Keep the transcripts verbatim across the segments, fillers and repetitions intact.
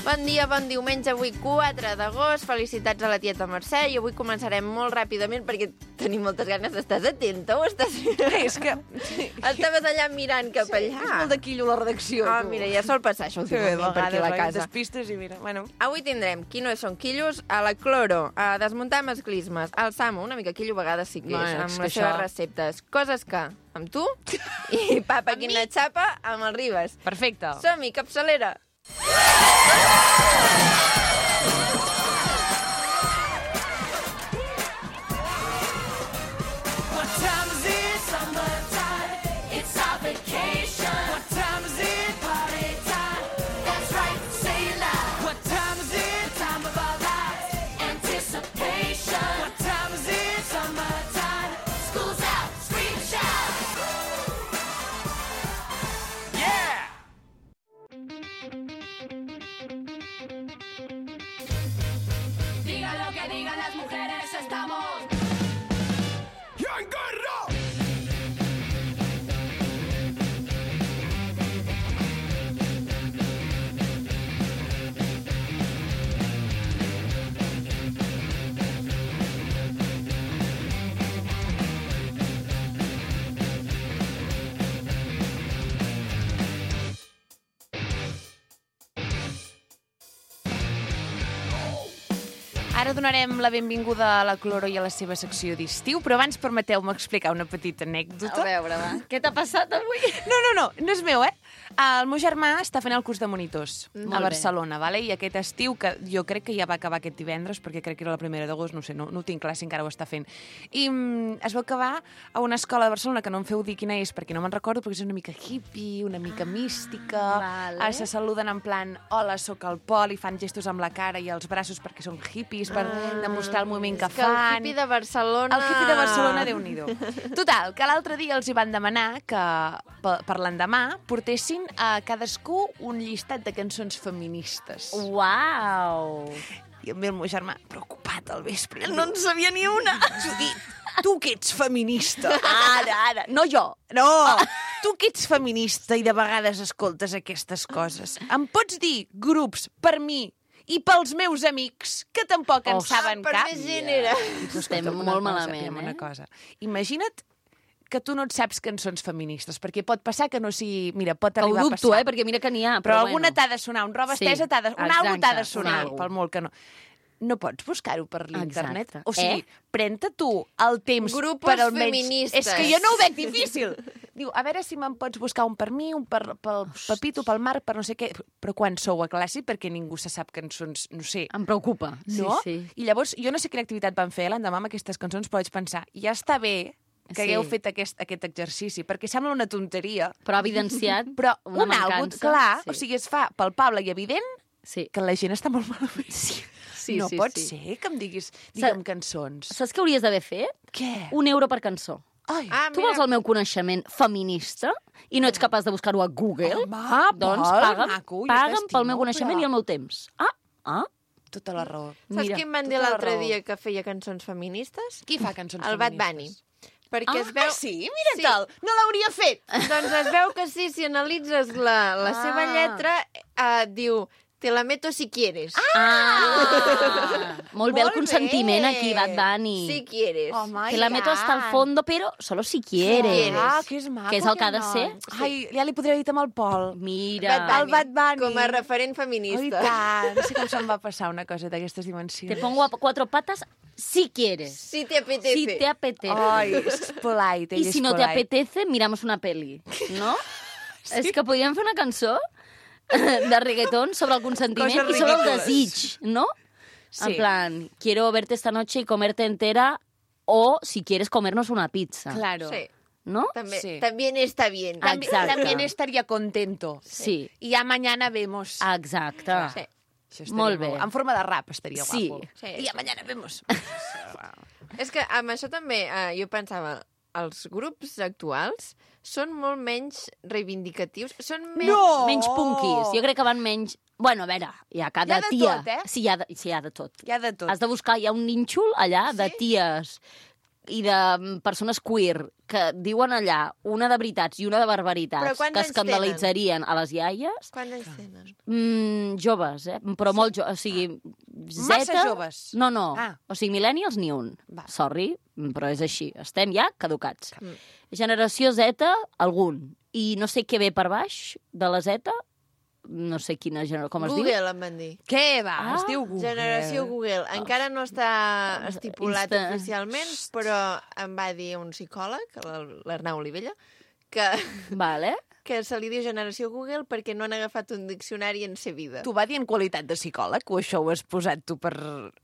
Bon dia, bon diumenge, avui quatre d'agost. Felicitats a la tieta Mercè. I avui començarem molt ràpidament perquè tenim moltes ganes. Estàs atenta o estàs... És que... Estaves allà mirant cap allà. És molt de quillo la redacció. Ah, tu. mira, ja sol passar això últimament per aquí a la casa. Despistes i mira, bueno... Avui tindrem quines són quillos, a la cloro, a desmuntar masclismes, al Samu, una mica quillo a vegades sí que és, Bueno, amb és les que seves això- receptes. Coses que, amb tu, i papa, quina xapa, amb el Ribas. Perfecte. Som-hi, capçalera! What time is it? Summertime. It's our vacation. What time is it? Party time. That's right, say it loud. What time is it? Time of our lives. Anticipation. What time is it? Summertime. School's out. Scream and shout. Yeah! Diga lo que digan las mujeres, estamos. Ara donarem la benvinguda a la Cloro i a la seva secció d'estiu, però abans permeteu-me explicar una petita anècdota. A veure, va. Què t'ha passat avui? No, no, no, no és meu, eh? El meu germà està fent el curs de monitors Molt a bé. Barcelona, vale? I aquest estiu, que jo crec que ja va acabar aquest divendres, perquè crec que era la primera d'agost, no sé, no, no ho tinc clar si encara ho està fent. I mm, es va acabar a una escola de Barcelona, que no em feu dir quina és, perquè no me'n recordo, perquè és una mica hippie, una mica mística, Vale. ah, se saluden en plan, hola, sóc el Pol, i fan gestos amb la cara i els braços perquè són hippies, per demostrar el moviment que És que el fan. hippie de Barcelona... El hippie de Barcelona, Déu-n'hi-do. Total, que l'altre dia els hi van demanar que per, per l'endemà portessin a cadascú un llistat de cançons feministes. Uau! I em ve el meu germà preocupat al vespre. No en sabia ni una. Judit, tu que ets feminista. Ara, ara. No jo. No, tu que ets feminista i de vegades escoltes aquestes coses. Em pots dir grups per mi i pels meus amics, que tampoc en Oh, saben per cap? més gent era. Doncs Estem escolta'm una molt cosa, malament, digue'm eh? Una cosa. Imagina't que tu no et saps cançons feministes, perquè pot passar que no sigui... Mira, pot Ho arribar a dubto, passar. eh? Perquè mira que n'hi ha. Però, Però, alguna bueno. t'ha de sonar, un roba Sí, estesa t'ha de... Un algo exacte, t'ha de un sonar, algo. pel molt que no... No pots buscar-ho per l'internet? Exacte. O sigui, Eh? pren-te tu el temps Grupos per almenys... feministes. És que jo no ho veig difícil. Diu, a veure si me'n pots buscar un per mi, un per, pel Pepito, pel Marc, per no sé què. Però quan sou a classe, perquè ningú se sap cançons, no sé, Em preocupa. no? Sí, sí. I llavors, jo no sé quina activitat van fer l'endemà amb aquestes cançons, però vaig pensar, ja està bé que Sí. hagueu fet aquest, aquest exercici, perquè sembla una tonteria, Però ha evidenciat però una un algo, mancança. clar, Sí. o sigui, es fa palpable i evident Sí. que la gent està molt malament. Sí, sí, no sí, pot sí. ser que em diguis, digue'm cançons. Saps què hauries d'haver fet? Què? Un euro per cançó. Ai, Ah, Tu vols el meu coneixement feminista i no ets capaç de buscar-ho a Google? Home, doncs Pol, paga'm, maco, jo paga'm t'estimo, pel meu coneixement però- i el meu temps. Ah, ah, tota la raó. Saps mira. qui em van dir tota la l'altre raó. dia que feia cançons feministes? Qui fa cançons El Bad Bunny. feministes? Perquè Ah, es veu... Ah, sí? Mira Sí. tal, no l'hauria fet. Doncs es veu que sí, si analitzes la, la Ah. seva lletra, eh, diu, te la meto si quieres. Ah, molt bé el Molt consentiment bé. aquí, Bad Bunny. Si quieres. Home, Que la meto hasta el fondo, però solo si quieres. Ah, que és maco. Que és el que ha de aquest ser. noi. Ai, ja li podria dir amb el Pol. Mira, Bad El Bad Bunny. Com a referent Oh, i feminista. tant. No sé com se'm va passar una cosa d'aquestes dimensions. te pongo a cuatro patas si quieres. Si te apetece. Si te apetece. Ai, és polite, ell I és si no te polite. apetece, miramos una peli, no? Sí? És que podríem fer una cançó de reggaeton sobre el consentiment Coses i sobre el ridícules. desig, no? Sí. En plan, quiero verte esta noche y comerte entera o si quieres comernos una pizza, Claro. Sí. ¿no? També, Sí. También está bien. Ah, También, Exacte. también estaría contento. Sí, Y ya mañana vemos. exacte. Sí. Això estaria Molt bé. guapo. En forma de rap estaria Sí. guapo. Sí, I ja sí. mañana vemos. És que amb això també eh, jo pensava, els grups actuals són molt menys reivindicatius, són menys... No! Menys punkis. Jo crec que van menys... Bueno, a veure, hi ha cada Hi ha de tia... tot, eh? Sí, hi ha de, sí, hi ha de tot. Hi ha de tot. Has de buscar, hi ha un nínxol allà de Sí? ties i de persones queer que diuen allà una de veritats i una de Però barbaritats quants que anys escandalitzarien a les iaies, Quants anys tenen? mm, joves, eh? Però molt joves. O sigui, Massa Zeta... joves. No, no. Ah. O sigui, millennials ni un. Va. Sorry, però és així. Estem ja caducats. Mm. Generació Z, algun. I no sé què ve per baix de la Z, no sé quina generació, com es diu? Google, em van dir. Què va? Ah, Es diu Google. Generació Google. Encara no està estipulat Insta- oficialment, però em va dir un psicòleg, l'Ar- l'Arnau Olivella, que, Vale. que se li diu generació Google perquè no han agafat un diccionari en ser vida. T'ho va dir en qualitat de psicòleg o això ho has posat tu per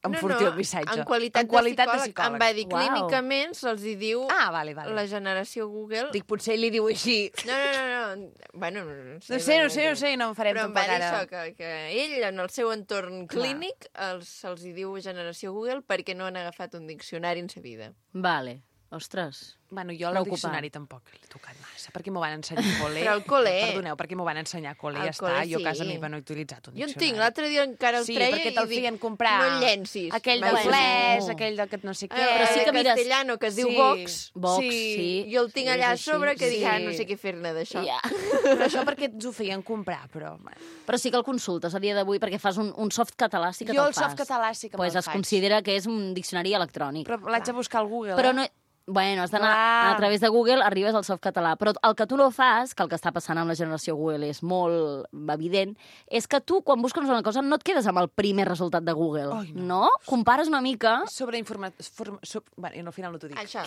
enfortir no, no, el missatge? En qualitat, en qualitat de, psicòleg, em va dir Uau. clínicament se'ls hi diu Ah, vale, vale. la generació Google. Dic, potser ell li diu així. No, no, no, no. Bueno, no, no No sé, no sé, no sé, no en farem Però em va tampoc dir ara. això, que, que ell, en el seu entorn Clar. clínic, els, se'ls hi diu generació Google perquè no han agafat un diccionari en sa vida. Vale. Ostres. Bueno, jo el Preocupant. diccionari tampoc l'he tocat massa, perquè m'ho van ensenyar a col·le. Però al col·le. Perdoneu, perquè m'ho van ensenyar a col·le, Al ja col·le, està. Jo a casa sí. meva no he utilitzat un Jo en diccionari. tinc, l'altre dia encara el Sí, treia perquè i te'l dic, feien comprar. no el llencis. Aquell de Vaja. Flash, no. aquell de que no sé Ah, què. però sí que que mires- castellano, que es diu Sí. Vox. Vox, Sí. sí. Jo el tinc És allà a així. sobre que dic, Sí. ah, no sé què fer-ne d'això. Ja. Però això perquè ens ho feien comprar, però... bueno. Però sí que el consultes a dia d'avui perquè fas un, un soft català, sí que Jo te'l el fas. soft català sí que pues me'l es faig. considera que és un diccionari electrònic. Però l'haig de buscar al Google, Però eh? no... Bueno, has d'anar Clar. a través de Google, arribes al soft català. Però el que tu no fas, que el que està passant amb la generació Google és molt evident, és que tu, quan busques una cosa, no et quedes amb el primer resultat de Google. Ai, no. no. Compares una mica... Sobre informats... Form... Sub... Bueno, al final no t'ho dic. Això.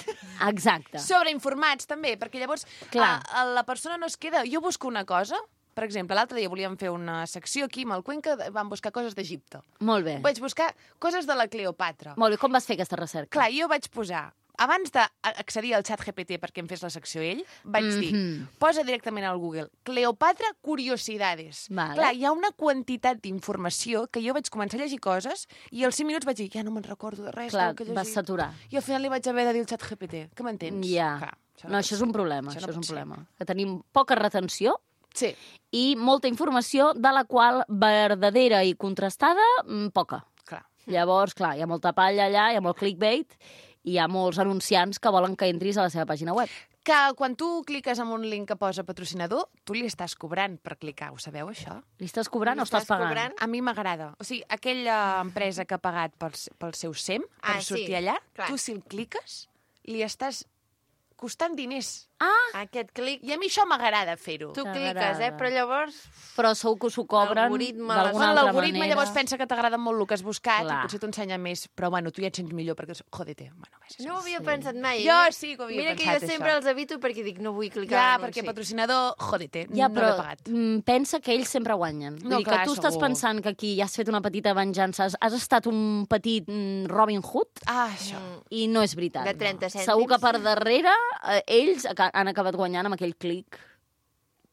Exacte. Sobre informats, també, perquè llavors Clar. a, a la persona no es queda... Jo busco una cosa, per exemple, l'altre dia volíem fer una secció aquí amb el Cuenca, vam buscar coses d'Egipte. Molt bé. Vaig buscar coses de la Cleopatra. Molt bé. Com vas fer aquesta recerca? Clar, jo vaig posar... Abans d'accedir al xat G P T perquè em fes la secció ell, vaig mm -hmm. dir, Mhm. posa directament al Google Cleopatra curiosidades. Vale. Clar, hi ha una quantitat d'informació que jo vaig començar a llegir coses i als cinc minuts vaig dir, ja no me'n recordo de res Clar, del que he vas llegit. saturar. I al final li vaig haver de dir al xat G P T, que m'entens? Ja. Clar, No, això és un problema, Això això, no és un pot ser. problema. Que tenim poca retenció Sí. i molta informació de la qual verdadera i contrastada, mm, poca. Clar. Llavors, clar, hi ha molta palla allà, hi ha molt clickbait, i hi ha molts anunciants que volen que entris a la seva pàgina web. Que quan tu cliques en un link que posa patrocinador, tu li estàs cobrant per clicar, ho sabeu, això? Li estàs cobrant Li o estàs estàs pagant? cobrant? A mi m'agrada. O sigui, aquella empresa que ha pagat pel, pel seu S E M, per Ah, sí, sortir allà, clar. tu si el cliques, li estàs costant diners. Ah, Aquest clic, I a mi això m'agrada fer-ho. tu T'agrada. cliques, eh? Però llavors... però segur que s'ho cobren L'algoritme, d'alguna Bueno, altra l'algoritme manera. llavors pensa que t'agrada molt el que has buscat Clar. i potser t'ensenya més, però bueno, tu ja et sents millor perquè, jodete, bueno, vaja, No ho havia Sí. pensat mai. Jo Mira- sí que ho havia Mira pensat, que jo sempre això. els evito perquè dic, no vull clicar Ja, en perquè l'anunci. patrocinador, jodete, Ja, no però l'he pagat. mm, pensa que ells sempre guanyen. Vull No, dir clar, que tu estàs segur. pensant que aquí ja has fet una petita venjança, has, has estat un petit mm, Robin Hood, Ah, això. Mm. i no és veritat. De trenta cèntims. Segur que per darrere eh, ells aca- han acabat guanyant amb aquell clic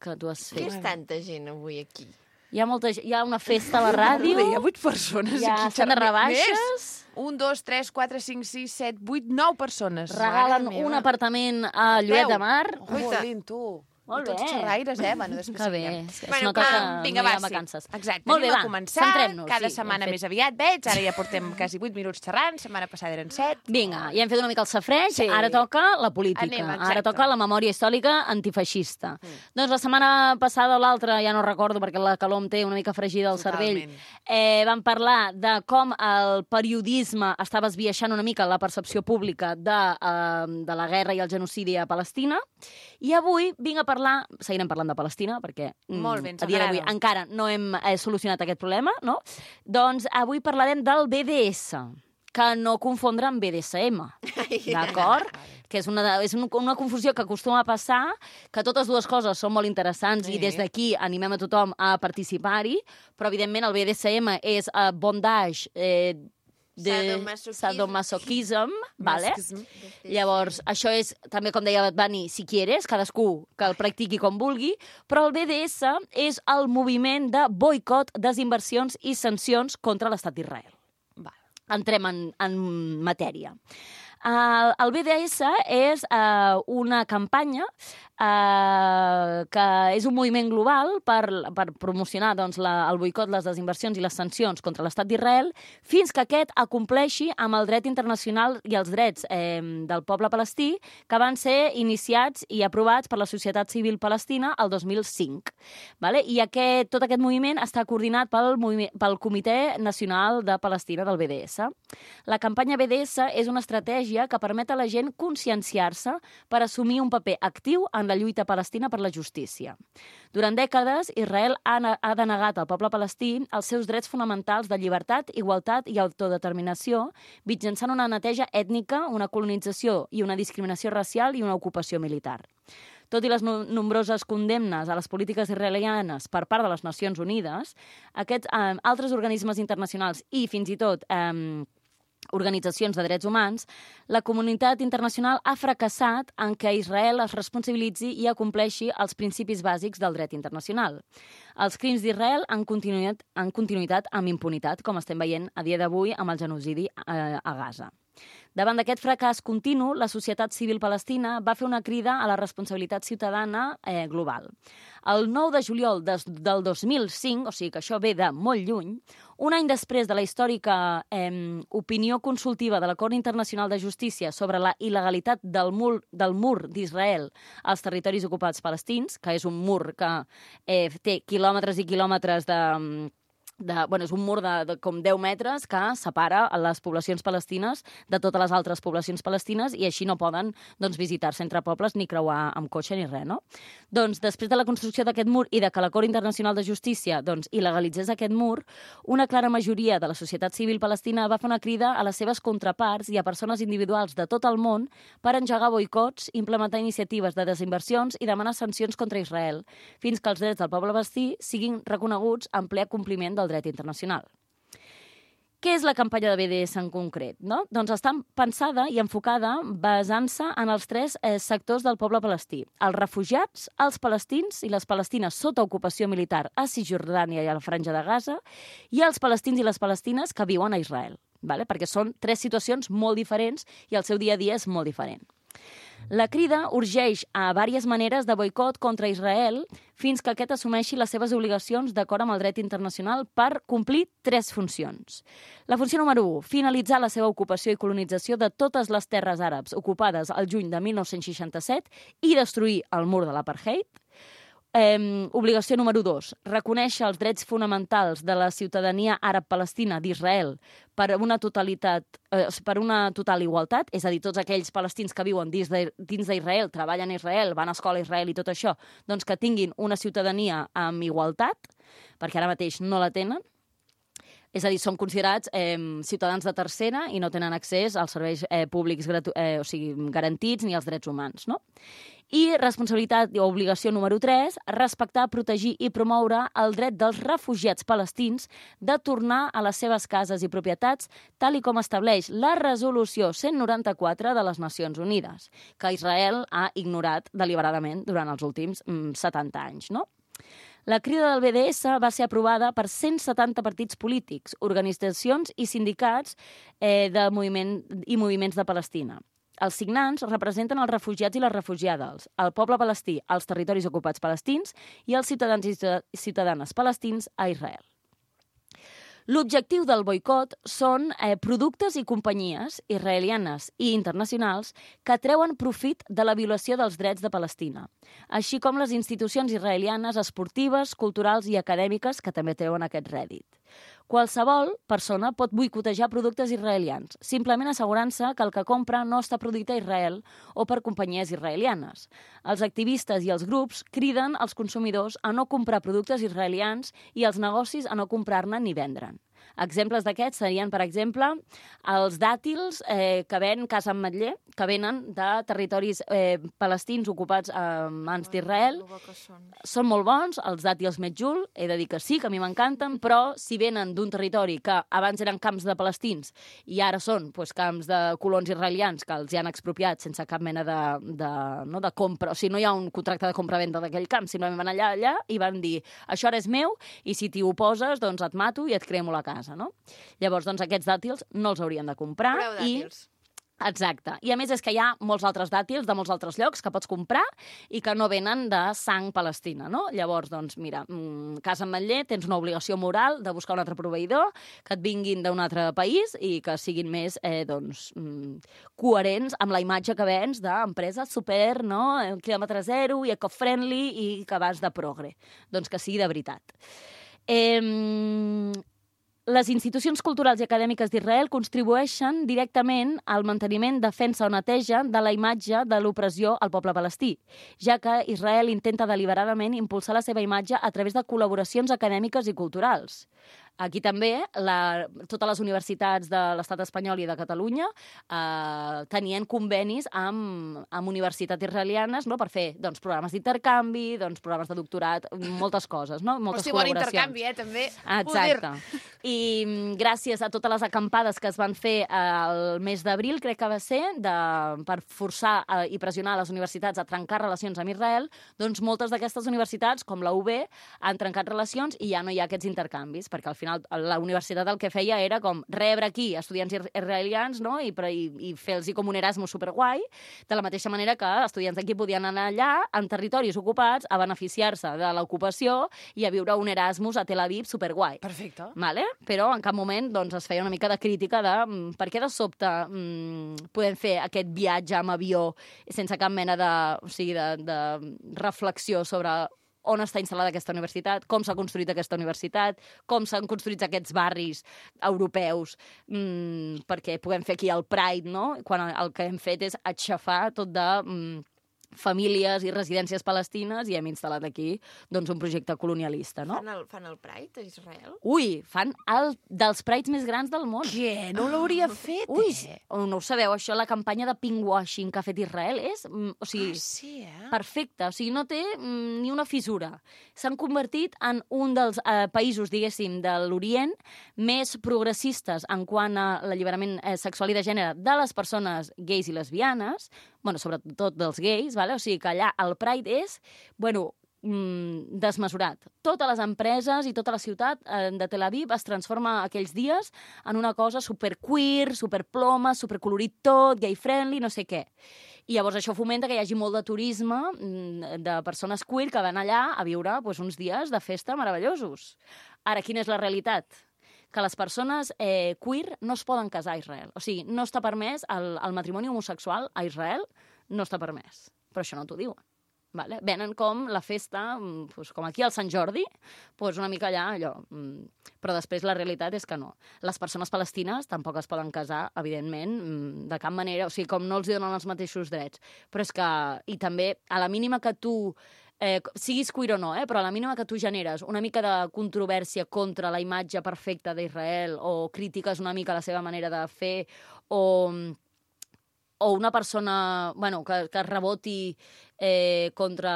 que tu has Què fet. és tanta gent avui aquí? Hi ha, molta, gent- hi ha una festa a la ràdio, Hi ha vuit persones hi ha aquí. estan de xerrant. rebaixes, Més? Un, dos, tres, quatre, cinc, sis, set, vuit, nou persones. regalen Mare meva. un apartament a Lloret de Mar. Jolín, tu. Molt I tots bé. xerraires, eh? Bueno, després Que bé, seguirem. es, es Bueno, nota clar, que Vinga, no hi va, ha sí. vacances. Exacte, Molt bé, anem va, a començar. centrem-nos, Cada sí, setmana hem fet- més aviat, veig. Ara ja portem quasi vuit minuts xerrant. Setmana passada eren set. Vinga, ja hem fet una mica el safreig, Sí. ara toca la política, Anem, exacte. ara toca la memòria històrica antifeixista. Mm. Doncs la setmana passada o l'altra, ja no recordo perquè la calor em té una mica fregida al cervell, Totalment. eh, vam parlar de com el periodisme estava esbiaixant una mica la percepció pública de, eh, de la guerra i el genocidi a Palestina, i avui vinc a parlar, seguirem parlant de Palestina, perquè mm, Molt bé, ens a dia d'avui agrada. encara no hem eh, solucionat aquest problema, no? Doncs avui parlarem del B D S, que no confondre amb B D S M, d'acord? Que és, una, és un- una confusió que acostuma a passar, que totes dues coses són molt interessants Sí. i des d'aquí animem a tothom a participar-hi, però evidentment el B D S M és uh, bondage eh, de Sadomasoquisme. sadomasoquism, vale? Masochism. Llavors, això és, també com deia Bani, si quieres, cadascú que el practiqui com vulgui, però el B D S és el moviment de boicot, desinversions i sancions contra l'estat d'Israel. Val. Entrem en, en matèria. El, el B D S és uh, una campanya uh, que és un moviment global per, per promocionar doncs, la, el boicot, les desinversions i les sancions contra l'estat d'Israel fins que aquest acompleixi amb el dret internacional i els drets eh, del poble palestí que van ser iniciats i aprovats per la societat civil palestina el dos mil cinc. Vale? I aquest, tot aquest moviment està coordinat pel, pel Comitè Nacional de Palestina del B D S. La campanya B D S és una estratègia que permet a la gent conscienciar-se per assumir un paper actiu en la lluita palestina per la justícia. Durant dècades, Israel ha, ha denegat al poble palestí els seus drets fonamentals de llibertat, igualtat i autodeterminació mitjançant una neteja ètnica, una colonització i una discriminació racial i una ocupació militar. Tot i les no nombroses condemnes a les polítiques israelianes per part de les Nacions Unides, aquests eh, altres organismes internacionals i fins i tot eh, organitzacions de drets humans, la comunitat internacional ha fracassat en què Israel es responsabilitzi i acompleixi els principis bàsics del dret internacional. Els crims d'Israel han continuat, han continuïtat amb impunitat, com estem veient a dia d'avui amb el genocidi eh, a Gaza. Davant d'aquest fracàs continu, la societat civil palestina va fer una crida a la responsabilitat ciutadana eh, global. El nou de juliol des, del dos mil cinc, o sigui que això ve de molt lluny, un any després de la històrica eh, opinió consultiva de l'Acord Internacional de Justícia sobre la il·legalitat del mur, del mur d'Israel als territoris ocupats palestins, que és un mur que eh, té quilòmetres i quilòmetres de... De, bueno, és un mur de, de com deu metres que separa les poblacions palestines de totes les altres poblacions palestines i així no poden doncs, visitar-se entre pobles ni creuar amb cotxe ni res, no? Doncs després de la construcció d'aquest mur i de que l'Acord Internacional de Justícia doncs, il·legalitzés aquest mur, una clara majoria de la societat civil palestina va fer una crida a les seves contraparts i a persones individuals de tot el món per engegar boicots, implementar iniciatives de desinversions i demanar sancions contra Israel, fins que els drets del poble palestí siguin reconeguts en ple compliment del dret internacional. Què és la campanya de B D S en concret? No? Doncs està pensada i enfocada basant-se en els tres eh, sectors del poble palestí. Els refugiats, els palestins i les palestines sota ocupació militar a Cisjordània i a la Franja de Gaza i els palestins i les palestines que viuen a Israel, vale? Perquè són tres situacions molt diferents i el seu dia a dia és molt diferent. La crida urgeix a diverses maneres de boicot contra Israel fins que aquest assumeixi les seves obligacions d'acord amb el dret internacional per complir tres funcions. La funció número u, finalitzar la seva ocupació i colonització de totes les terres àrabs ocupades al juny de mil nou-cents seixanta-set i destruir el mur de l'apartheid. Eh, obligació número dos, reconèixer els drets fonamentals de la ciutadania àrab-palestina d'Israel per una totalitat, eh, per una total igualtat, és a dir, tots aquells palestins que viuen dins d'Israel, treballen a Israel, van a escola a Israel i tot això, doncs que tinguin una ciutadania amb igualtat, perquè ara mateix no la tenen. És a dir, són considerats eh, ciutadans de tercera i no tenen accés als serveis eh, públics eh, o sigui, garantits ni als drets humans, no? I responsabilitat o obligació número tres, respectar, protegir i promoure el dret dels refugiats palestins de tornar a les seves cases i propietats, tal i com estableix la resolució cent noranta-quatre de les Nacions Unides, que Israel ha ignorat deliberadament durant els últims mm, setanta anys, no? La crida del B D S va ser aprovada per cent setanta partits polítics, organitzacions i sindicats eh, de moviment, i moviments de Palestina. Els signants representen els refugiats i les refugiades, el poble palestí, els territoris ocupats palestins i els ciutadans i ciutadanes palestins a Israel. L'objectiu del boicot són eh, productes i companyies israelianes i internacionals que treuen profit de la violació dels drets de Palestina, així com les institucions israelianes esportives, culturals i acadèmiques que també treuen aquest rèdit. Qualsevol persona pot boicotejar productes israelians, simplement assegurant-se que el que compra no està produït a Israel o per companyies israelianes. Els activistes i els grups criden als consumidors a no comprar productes israelians i als negocis a no comprar-ne ni vendre'n. Exemples d'aquests serien, per exemple, els dàtils eh, que ven Casa Ametller, que venen de territoris eh, palestins ocupats a mans d'Israel. Són. Són molt bons, els dàtils Medjool, he de dir que sí, que a mi m'encanten, però si venen d'un territori que abans eren camps de palestins i ara són doncs, camps de colons israelians que els hi han expropiat sense cap mena de, de, no, de compra, o sigui, no hi ha un contracte de compra-venda d'aquell camp, simplement van allà, allà i van dir, això ara és meu i si t'hi oposes, doncs et mato i et cremo la casa. No? Llavors, doncs, aquests dàtils no els haurien de comprar. Preu dàtils. I Exacte. I a més és que hi ha molts altres dàtils de molts altres llocs que pots comprar i que no venen de sang palestina, no? Llavors, doncs, mira, mmm, Casa Ametller tens una obligació moral de buscar un altre proveïdor, que et vinguin d'un altre país i que siguin més, eh, doncs, mmm, coherents amb la imatge que vens d'empresa super, no?, quilòmetre zero i eco-friendly i que vas de progre. Doncs que sigui de veritat. Eh... Les institucions culturals i acadèmiques d'Israel contribueixen directament al manteniment, defensa o neteja de la imatge de l'opressió al poble palestí, ja que Israel intenta deliberadament impulsar la seva imatge a través de col·laboracions acadèmiques i culturals. Aquí també la, totes les universitats de l'estat espanyol i de Catalunya eh, tenien convenis amb, amb universitats israelianes, no?, per fer doncs, programes d'intercanvi, doncs, programes de doctorat, moltes coses, no? Moltes Hosti, bon col·laboracions. intercanvi, eh, també. Exacte. I gràcies a totes les acampades que es van fer el mes d'abril, crec que va ser, de, per forçar eh, i pressionar les universitats a trencar relacions amb Israel, doncs moltes d'aquestes universitats, com la U B, han trencat relacions i ja no hi ha aquests intercanvis, perquè al final la universitat el que feia era com rebre aquí estudiants israelians, no?, i, i, i fer-los com un Erasmus superguai, de la mateixa manera que estudiants d'aquí podien anar allà, en territoris ocupats, a beneficiar-se de l'ocupació i a viure un Erasmus a Tel Aviv superguai. Perfecte. Vale? Però en cap moment doncs, es feia una mica de crítica de mm, per què de sobte mm, podem fer aquest viatge amb avió sense cap mena de, o sigui, de, de reflexió sobre on està instal·lada aquesta universitat, com s'ha construït aquesta universitat, com s'han construït aquests barris europeus, mmm, perquè puguem fer aquí el Pride, no?, quan el que hem fet és aixafar tot de mm, famílies i residències palestines i hem instal·lat aquí doncs, un projecte colonialista, no? Fan el, fan el Pride a Israel? Ui, fan el dels Prides més grans del món. Què? No l'hauria fet, Ui, eh? no ho sabeu, això, la campanya de pinkwashing que ha fet Israel és, mm, o sigui, Ah, sí, eh? perfecte, o sigui, no té mm, ni una fissura. S'han convertit en un dels eh, països, diguéssim, de l'Orient més progressistes en quant a l'alliberament eh, sexual i de gènere de les persones gais i lesbianes, bueno, sobretot dels gais, vale? O sigui que allà el Pride és, bueno, mm, desmesurat. Totes les empreses i tota la ciutat eh, de Tel Aviv es transforma aquells dies en una cosa superqueer, superploma, supercolorit tot, gay-friendly, no sé què. I llavors això fomenta que hi hagi molt de turisme mm, de persones queer que van allà a viure pues, uns dies de festa meravellosos. Ara, quina és la realitat? Que les persones eh, queer no es poden casar a Israel. O sigui, no està permès, el, el matrimoni homosexual a Israel no està permès. Però això no t'ho diuen. Vale? Venen com la festa, pues, com aquí al Sant Jordi, pues una mica allà, allò. Però després la realitat és que no. Les persones palestines tampoc es poden casar, evidentment, de cap manera. O sigui, com no els donen els mateixos drets. Però és que... I també, a la mínima que tu... Eh, siguis queer o no, eh, però a la mínima que tu generes una mica de controvèrsia contra la imatge perfecta d'Israel o crítiques una mica la seva manera de fer o, o una persona bueno, que, que reboti eh, contra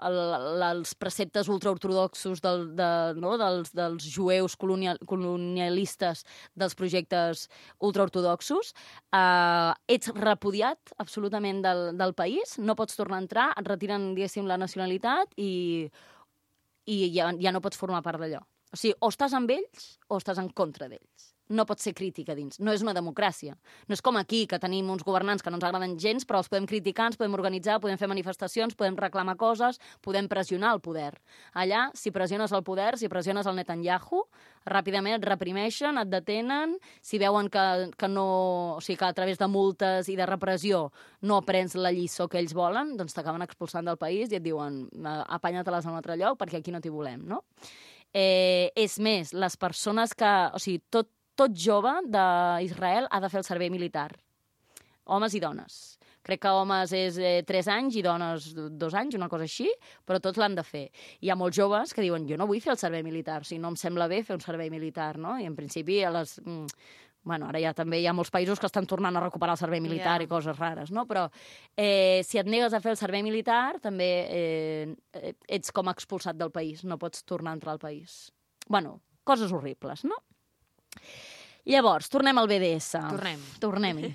el, els preceptes ultraortodoxos del, de, no, dels, dels jueus colonial, colonialistes dels projectes ultraortodoxos, eh, ets repudiat absolutament del, del país, no pots tornar a entrar, et retiren, diguéssim, la nacionalitat i, i ja, ja no pots formar part d'allò. O sigui, o estàs amb ells o estàs en contra d'ells. No pot ser crítica dins. No és una democràcia. No és com aquí, que tenim uns governants que no ens agraden gens, però els podem criticar, ens podem organitzar, podem fer manifestacions, podem reclamar coses, podem pressionar el poder. Allà, si pressiones el poder, si pressiones el Netanyahu, ràpidament et reprimeixen, et detenen, si veuen que, que no... O sigui, que a través de multes i de repressió no aprens la lliçó que ells volen, doncs t'acaben expulsant del país i et diuen apanya-te-les a un altre lloc perquè aquí no t'hi volem, no? Eh, és més, les persones que... O sigui, tot tot jove d'Israel ha de fer el servei militar. Homes i dones. Crec que homes és eh, tres anys i dones dos anys, una cosa així, però tots l'han de fer. Hi ha molts joves que diuen, jo no vull fer el servei militar, o sigui, no em sembla bé fer un servei militar, no? I en principi, a les... Bueno, ara ja també hi ha molts països que estan tornant a recuperar el servei militar yeah. i coses rares, no? Però eh, si et negues a fer el servei militar, també eh, ets com expulsat del país, no pots tornar a entrar al país. Bueno, coses horribles, no? Llavors, tornem al B D S. Tornem. Tornem-hi.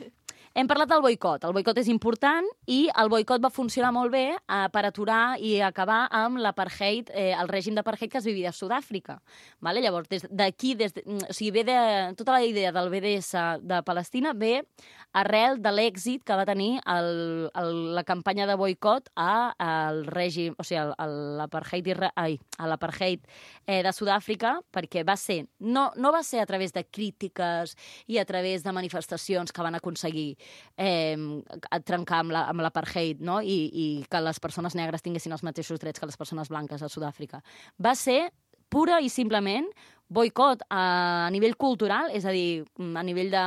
Hem parlat del boicot. El boicot és important i el boicot va funcionar molt bé eh, per aturar i acabar amb l'apartheid, eh, el règim d'apartheid que es vivia a Sud-àfrica. Vale? Llavors, des d'aquí, des de, o sigui, ve de, tota la idea del B D S de Palestina ve arrel de l'èxit que va tenir el, el, la campanya de boicot a, al règim, o sigui, a l'apartheid a l'apartheid eh, de Sud-àfrica, perquè va ser, no, no va ser a través de crítiques i a través de manifestacions que van aconseguir eh, trencar amb l'apartheid, la, no? I, i que les persones negres tinguessin els mateixos drets que les persones blanques a Sud-àfrica. Va ser pura i simplement boicot a, a nivell cultural, és a dir, a nivell de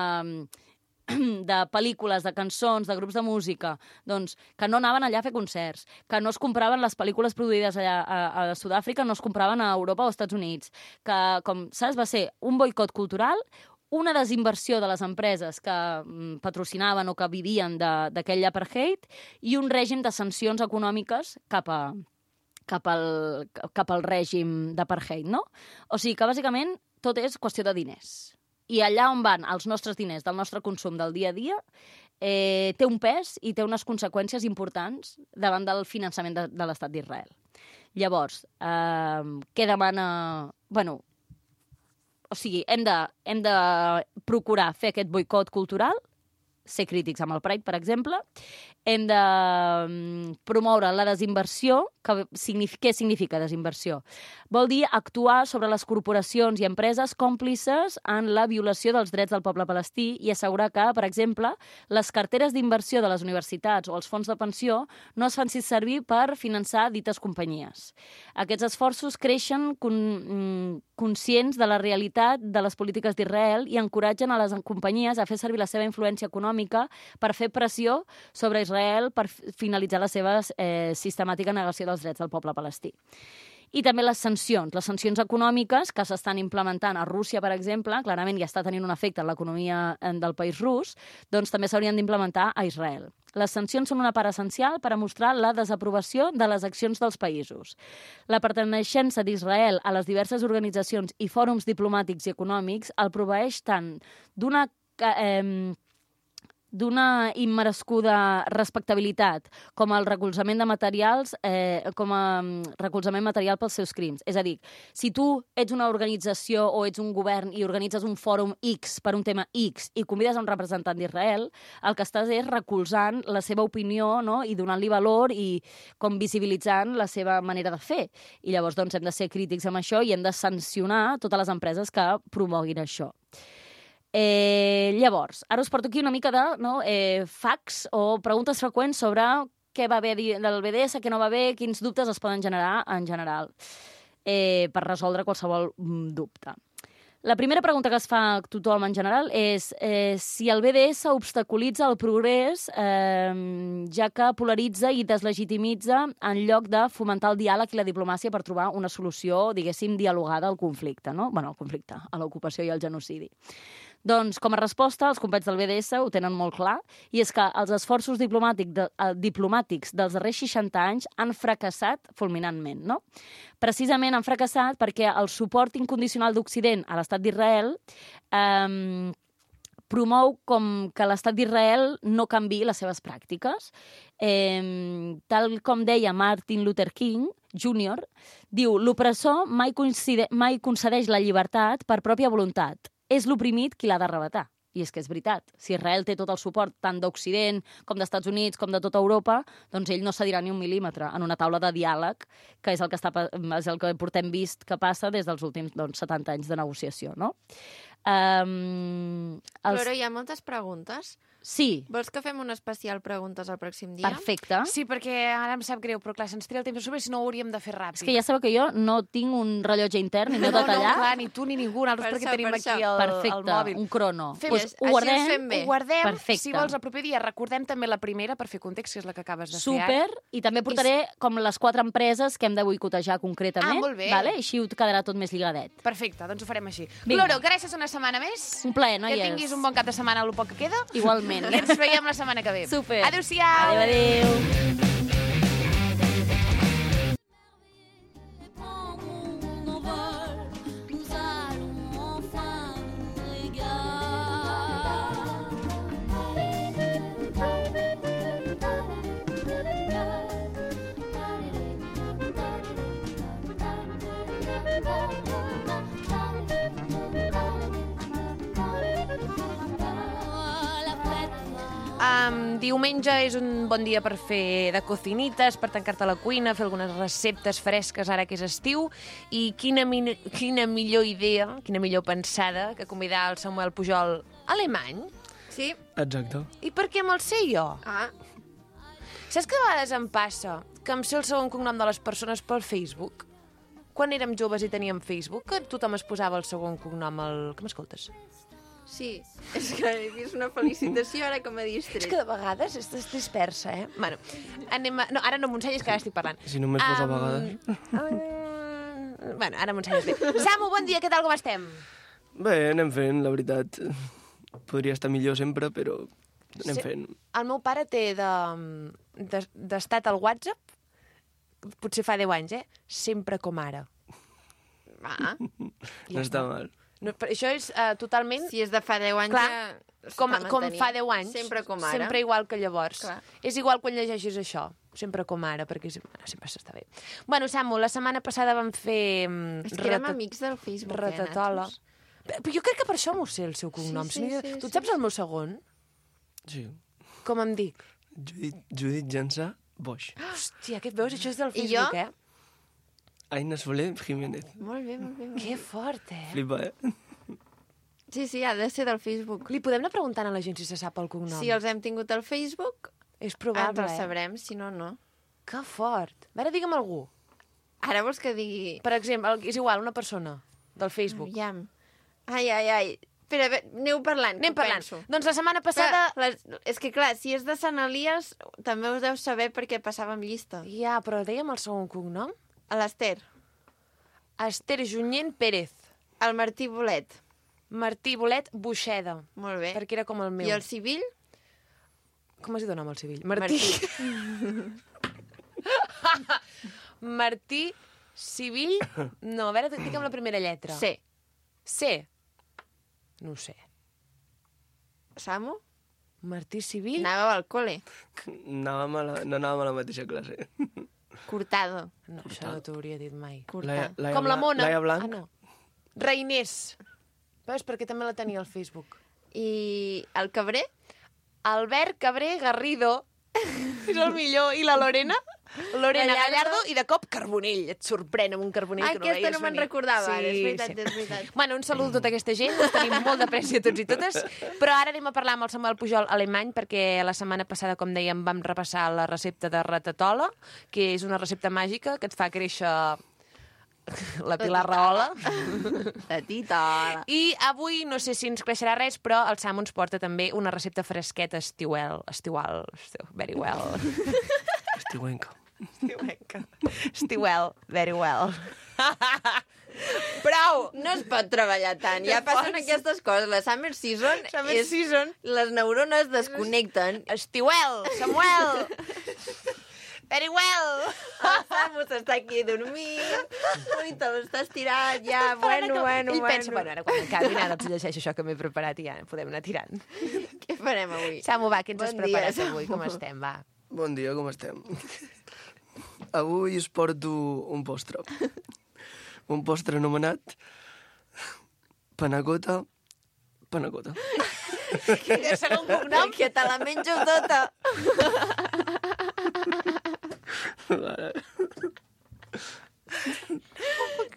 de pel·lícules, de cançons, de grups de música, doncs, que no anaven allà a fer concerts, que no es compraven les pel·lícules produïdes allà a, a Sud-àfrica, no es compraven a Europa o als Estats Units, que, com saps, va ser un boicot cultural, una desinversió de les empreses que mm, patrocinaven o que vivien d'aquell apartheid i un règim de sancions econòmiques cap a cap al, cap al règim d'apartheid, no? O sigui que, bàsicament, tot és qüestió de diners. I allà on van els nostres diners del nostre consum del dia a dia eh, té un pes i té unes conseqüències importants davant del finançament de, de l'estat d'Israel. Llavors, eh, què demana... Bueno, o sigui, hem de, hem de procurar fer aquest boicot cultural, ser crítics amb el Pride, per exemple. Hem de promoure la desinversió. Que significa, què significa desinversió? Vol dir actuar sobre les corporacions i empreses còmplices en la violació dels drets del poble palestí i assegurar que, per exemple, les carteres d'inversió de les universitats o els fons de pensió no es fan servir per finançar dites companyies. Aquests esforços creixen con, conscients de la realitat de les polítiques d'Israel i encoratgen a les companyies a fer servir la seva influència econòmica per fer pressió sobre Israel per finalitzar la seva eh, sistemàtica negació dels drets del poble palestí. I també les sancions, les sancions econòmiques que s'estan implementant a Rússia, per exemple, clarament ja està tenint un efecte en l'economia del país rus, doncs també s'haurien d'implementar a Israel. Les sancions són una part essencial per a mostrar la desaprovació de les accions dels països. La perteneixença d'Israel a les diverses organitzacions i fòrums diplomàtics i econòmics el proveeix tant d'una... Eh, d'una immerescuda respectabilitat com el recolzament de materials, eh, com a recolzament material pels seus crims. És a dir, si tu ets una organització o ets un govern i organitzes un fòrum X per un tema X i convides a un representant d'Israel, el que estàs és recolzant la seva opinió, no? I donant-li valor i com visibilitzant la seva manera de fer. I llavors doncs, hem de ser crítics amb això i hem de sancionar totes les empreses que promoguin això. Eh, llavors, ara us porto aquí una mica de no, eh, facts o preguntes freqüents sobre què va bé del B D S, què no va bé, quins dubtes es poden generar en general eh, per resoldre qualsevol dubte. La primera pregunta que es fa a tothom en general és eh, si el B D S obstaculitza el progrés eh, ja que polaritza i deslegitimitza en lloc de fomentar el diàleg i la diplomàcia per trobar una solució, diguéssim, dialogada al conflicte, no? Bueno, al conflicte, a l'ocupació i al genocidi. Doncs, com a resposta, els companys del B D S ho tenen molt clar, i és que els esforços diplomàtic de, eh, diplomàtics dels darrers seixanta anys han fracassat fulminantment, no? Precisament han fracassat perquè el suport incondicional d'Occident a l'estat d'Israel eh, promou com que l'estat d'Israel no canviï les seves pràctiques. Eh, tal com deia Martin Luther King júnior, diu, l'opressor mai, mai concedeix la llibertat per pròpia voluntat. És l'oprimit qui l'ha d'arrebatar. I és que és veritat. Si Israel té tot el suport tant d'Occident com d'Estats Units com de tota Europa, doncs ell no cedirà ni un mil·límetre en una taula de diàleg, que és el que, està, és el que portem vist que passa des dels últims doncs, setanta anys de negociació, no? Um, els... Però hi ha moltes preguntes. Sí. Vols que fem un especial preguntes el pròxim dia? Perfecte. Sí, perquè ara em sap greu, però clar, se'ns tria el temps a sobre, si no ho hauríem de fer ràpid. És que ja sabeu que jo no tinc un rellotge intern i no tot allà. No, clar, ni tu ni ningú, nosaltres Per perquè això, tenim per aquí això. el, Perfecte, el mòbil. un crono. Fem- Pues Així ho ens guardem, fem bé. Ho guardem, Perfecte. si vols, el proper dia. Recordem també la primera, per fer context, que és la que acabes de fer super, ara. i també portaré com les quatre empreses que hem de boicotejar concretament. Ah, molt bé. Vale? Així ho quedarà tot més lligadet. Perfecte, doncs ho farem així. Vinga. Gloro, gràcies una setmana més. Un plaer, noies. Que tinguis un bon cap de setmana, el poc que queda. Igualment. I ens veiem la setmana que ve. Super. Adéu-siau. Adéu, adéu. Nous allons enfin nous régaler. Um, diumenge és un bon dia per fer de cocinites, per tancar-te a la cuina, fer algunes receptes fresques ara que és estiu, i quina, mi quina millor idea, quina millor pensada que convidar el Samuel Pujol alemany. Sí. Exacte. I per què me'l sé jo? Ah, Saps que a vegades em passa que em sé el segon cognom de les persones pel Facebook? Quan érem joves i teníem Facebook, que tothom es posava el segon cognom al... Que m'escoltes? sí. És que he vist una felicitació ara que m'ha distret. És que de vegades estàs dispersa, eh? Bueno, anem a... No, ara no m'ho ensenyis, que ara estic parlant. Si només fos a vegades. Um, bueno, ara m'ho ensenyes bé. Samu, bon dia, què tal, com estem? Bé, anem fent, la veritat. Podria estar millor sempre, però anem Sí. fent. El meu pare té de, de, d'estat al WhatsApp, potser fa deu anys, eh? Sempre com ara. Ah, No està mal. No, però això és uh, totalment... si és de fa deu anys Clar, ja com, s'està com mantenint. fa deu anys. Sempre com ara. Sempre igual que llavors. Clar. És igual quan llegeixis això. Sempre com ara, perquè bueno, sempre s'està bé. Bueno, Samu, la setmana passada vam fer... mm, És que érem rata- amics del Facebook, Ratatola. eh, Natos? Però jo crec que per això m'ho sé, el seu cognom. Sí, sí, Si no- sí, tu sí. et saps el meu segon? Sí. Com em dic? Judit, Judit Jansà Boix. Hòstia, què et veus? Això és del I Facebook, jo? eh? Aina Soler Jiménez. Molt bé, molt bé. Molt bé. Que fort, eh? Flipa, eh? Sí, sí, ha de ser del Facebook. Li podem anar preguntant a la gent si se sap el cognom? Si els hem tingut al Facebook, És ens probable, el eh? sabrem, si no, no. Que fort. A veure, digue'm algú. Ara vols que digui... Per exemple, és igual, una persona del Facebook. Aviam. Ai, ai, ai. Espera, a veure, aneu parlant. Anem que ho parlant. penso. Doncs la setmana Passada... passada... Les... És que, clar, si és de Sant Elies, també us deu saber perquè passàvem llista. Ja, però dèiem el segon cognom? A l'Ester, Esther Junyent Pérez. el Martí Bolet. Martí Bolet Buixeda. Molt bé. Perquè era com el meu. I el civil? Com es diu el nom al civil? Martí. Martí Civil... No, a veure, digue'm la primera lletra. C. C. No ho sé. Samu? Martí Civil? Anàveu al col·le. Anàvem a la, no anàvem a la mateixa classe. Cortado. No, això no t'ho hauria dit mai. Cortar. Laia Com la Blanc- Mona. Laia Blanc. Ah, no. Reinés. Veus, perquè també la tenia al Facebook. I el Cabré? Albert Cabré Garrido. És el millor. I la Lorena? Lorena Gallardo. Gallardo i de cop Carbonell. Et sorprèn amb un Carbonell Ah, que no aquesta veies no me'n venir. recordava, ara, és veritat, és veritat. Bueno, un salut a tota aquesta gent, us tenim molt d'apreci a tots i totes, però ara anem a parlar amb el Samuel Pujol alemany, perquè la setmana passada, com dèiem, vam repassar la recepta de ratatola, que és una recepta màgica que et fa créixer la Pilar Rahola. La tita. I avui, no sé si ens creixerà res, però el Samu ens porta també una recepta fresqueta estiuel, estiual, estiu, very well. Estiuenca. Estiuenca. Estiuel, very well. Prou! No es pot treballar tant. Ja passen pots. aquestes coses. La summer season Summer és... season. Les neurones desconnecten. Estiuel, Samuel! Very well! El Samu s'està aquí dormint. Ui, te l'estàs tirant ja. Bueno, bueno, Ell bueno. pensa, bueno, ara quan acabi, ara els llegeixo això que m'he preparat i ja podem anar tirant. Què farem avui? Samu, va, què ens has Bon dia, preparat Samu. avui? Com estem, va? Bon dia, com estem? Avui us porto un postre. Un postre anomenat panacota panacota. I el segon cognom? Que te la menjo tota. Vale.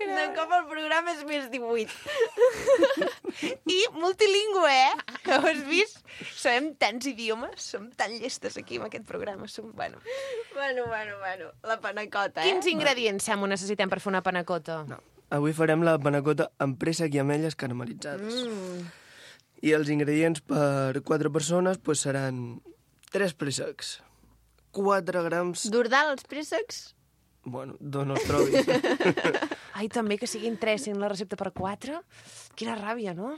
De cop el programa és més divuit. I multilingüe, eh? Que ho has vist? Sabem tants idiomes, som tan llestes aquí amb aquest programa. Som... Bueno. Bueno, bueno, bueno. La panacota, eh? Quins ingredients, Samu, necessitem per fer una panacota? No. Avui farem la panacota amb préssec i ametlles caramelitzades. Mm. I els ingredients per quatre persones pues, seran tres préssecs, quatre grams... D'ordal, els préssecs? Bueno, d'on els trobis. Ai, també que siguin tres, sent la recepta per quatre? Quina ràbia, no?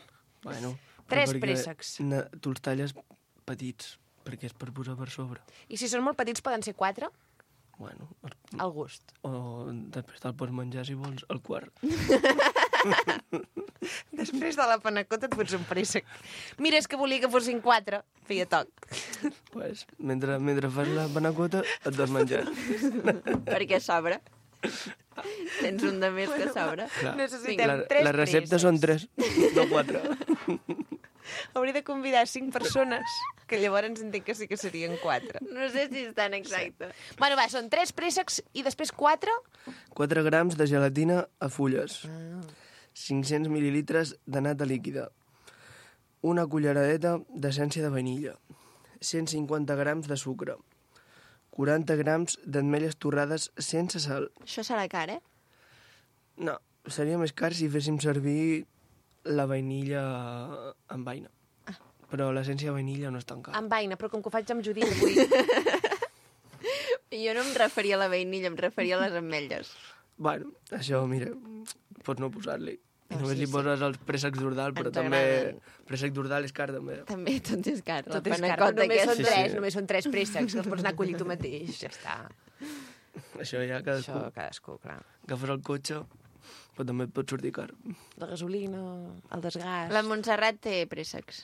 Bueno, Tres però perquè préssecs. na- Tu els talles petits, perquè és per posar per sobre. I si són molt petits poden ser quatre? Bueno, Al gust. o després te'l pots menjar, si vols, al quart. Després de la panacota et fots un préssec. Mira, és que volia que fossin quatre. Feia toc. Pues, mentre, mentre fas la panacota, et vas menjar. Perquè sobra. Tens un de més que sobra. Clar. Necessitem La, tres la recepta préssecs. són tres, no quatre. Hauria de convidar cinc persones, que llavors entenc que sí que serien quatre. No sé si és tan exacte. Sí. Bueno, va, són tres préssecs i després quatre? quatre grams de gelatina a fulles. Ah. cinc-cents mil·lilitres de nata líquida. Una culleradeta d'essència de vainilla. cent cinquanta grams de sucre. quaranta grams d'ametlles torrades sense sal. Això serà car, eh? No, seria més car si féssim servir la vainilla amb vaina. Ah. Però l'essència de vainilla no és tan cara. Amb vaina, però com que ho faig amb Judit avui... Jo no em referia a la vainilla, em referia a les ametlles. Bueno, això, mira, pots no posar-li. I Oh, només sí, li poses sí. els préssecs d'Ordal, però Ens també... agraden. Préssec d'Ordal és car, també. També tot és car. Tot la és car, però panacota només són aquesta. tres, Sí, sí. només són tres préssecs, que els pots anar a collir tu mateix, ja està. Això ja cadascú. Això, cadascú, clar. Agafes el cotxe, però també et pot sortir car. La gasolina, el desgast... La Montserrat té préssecs.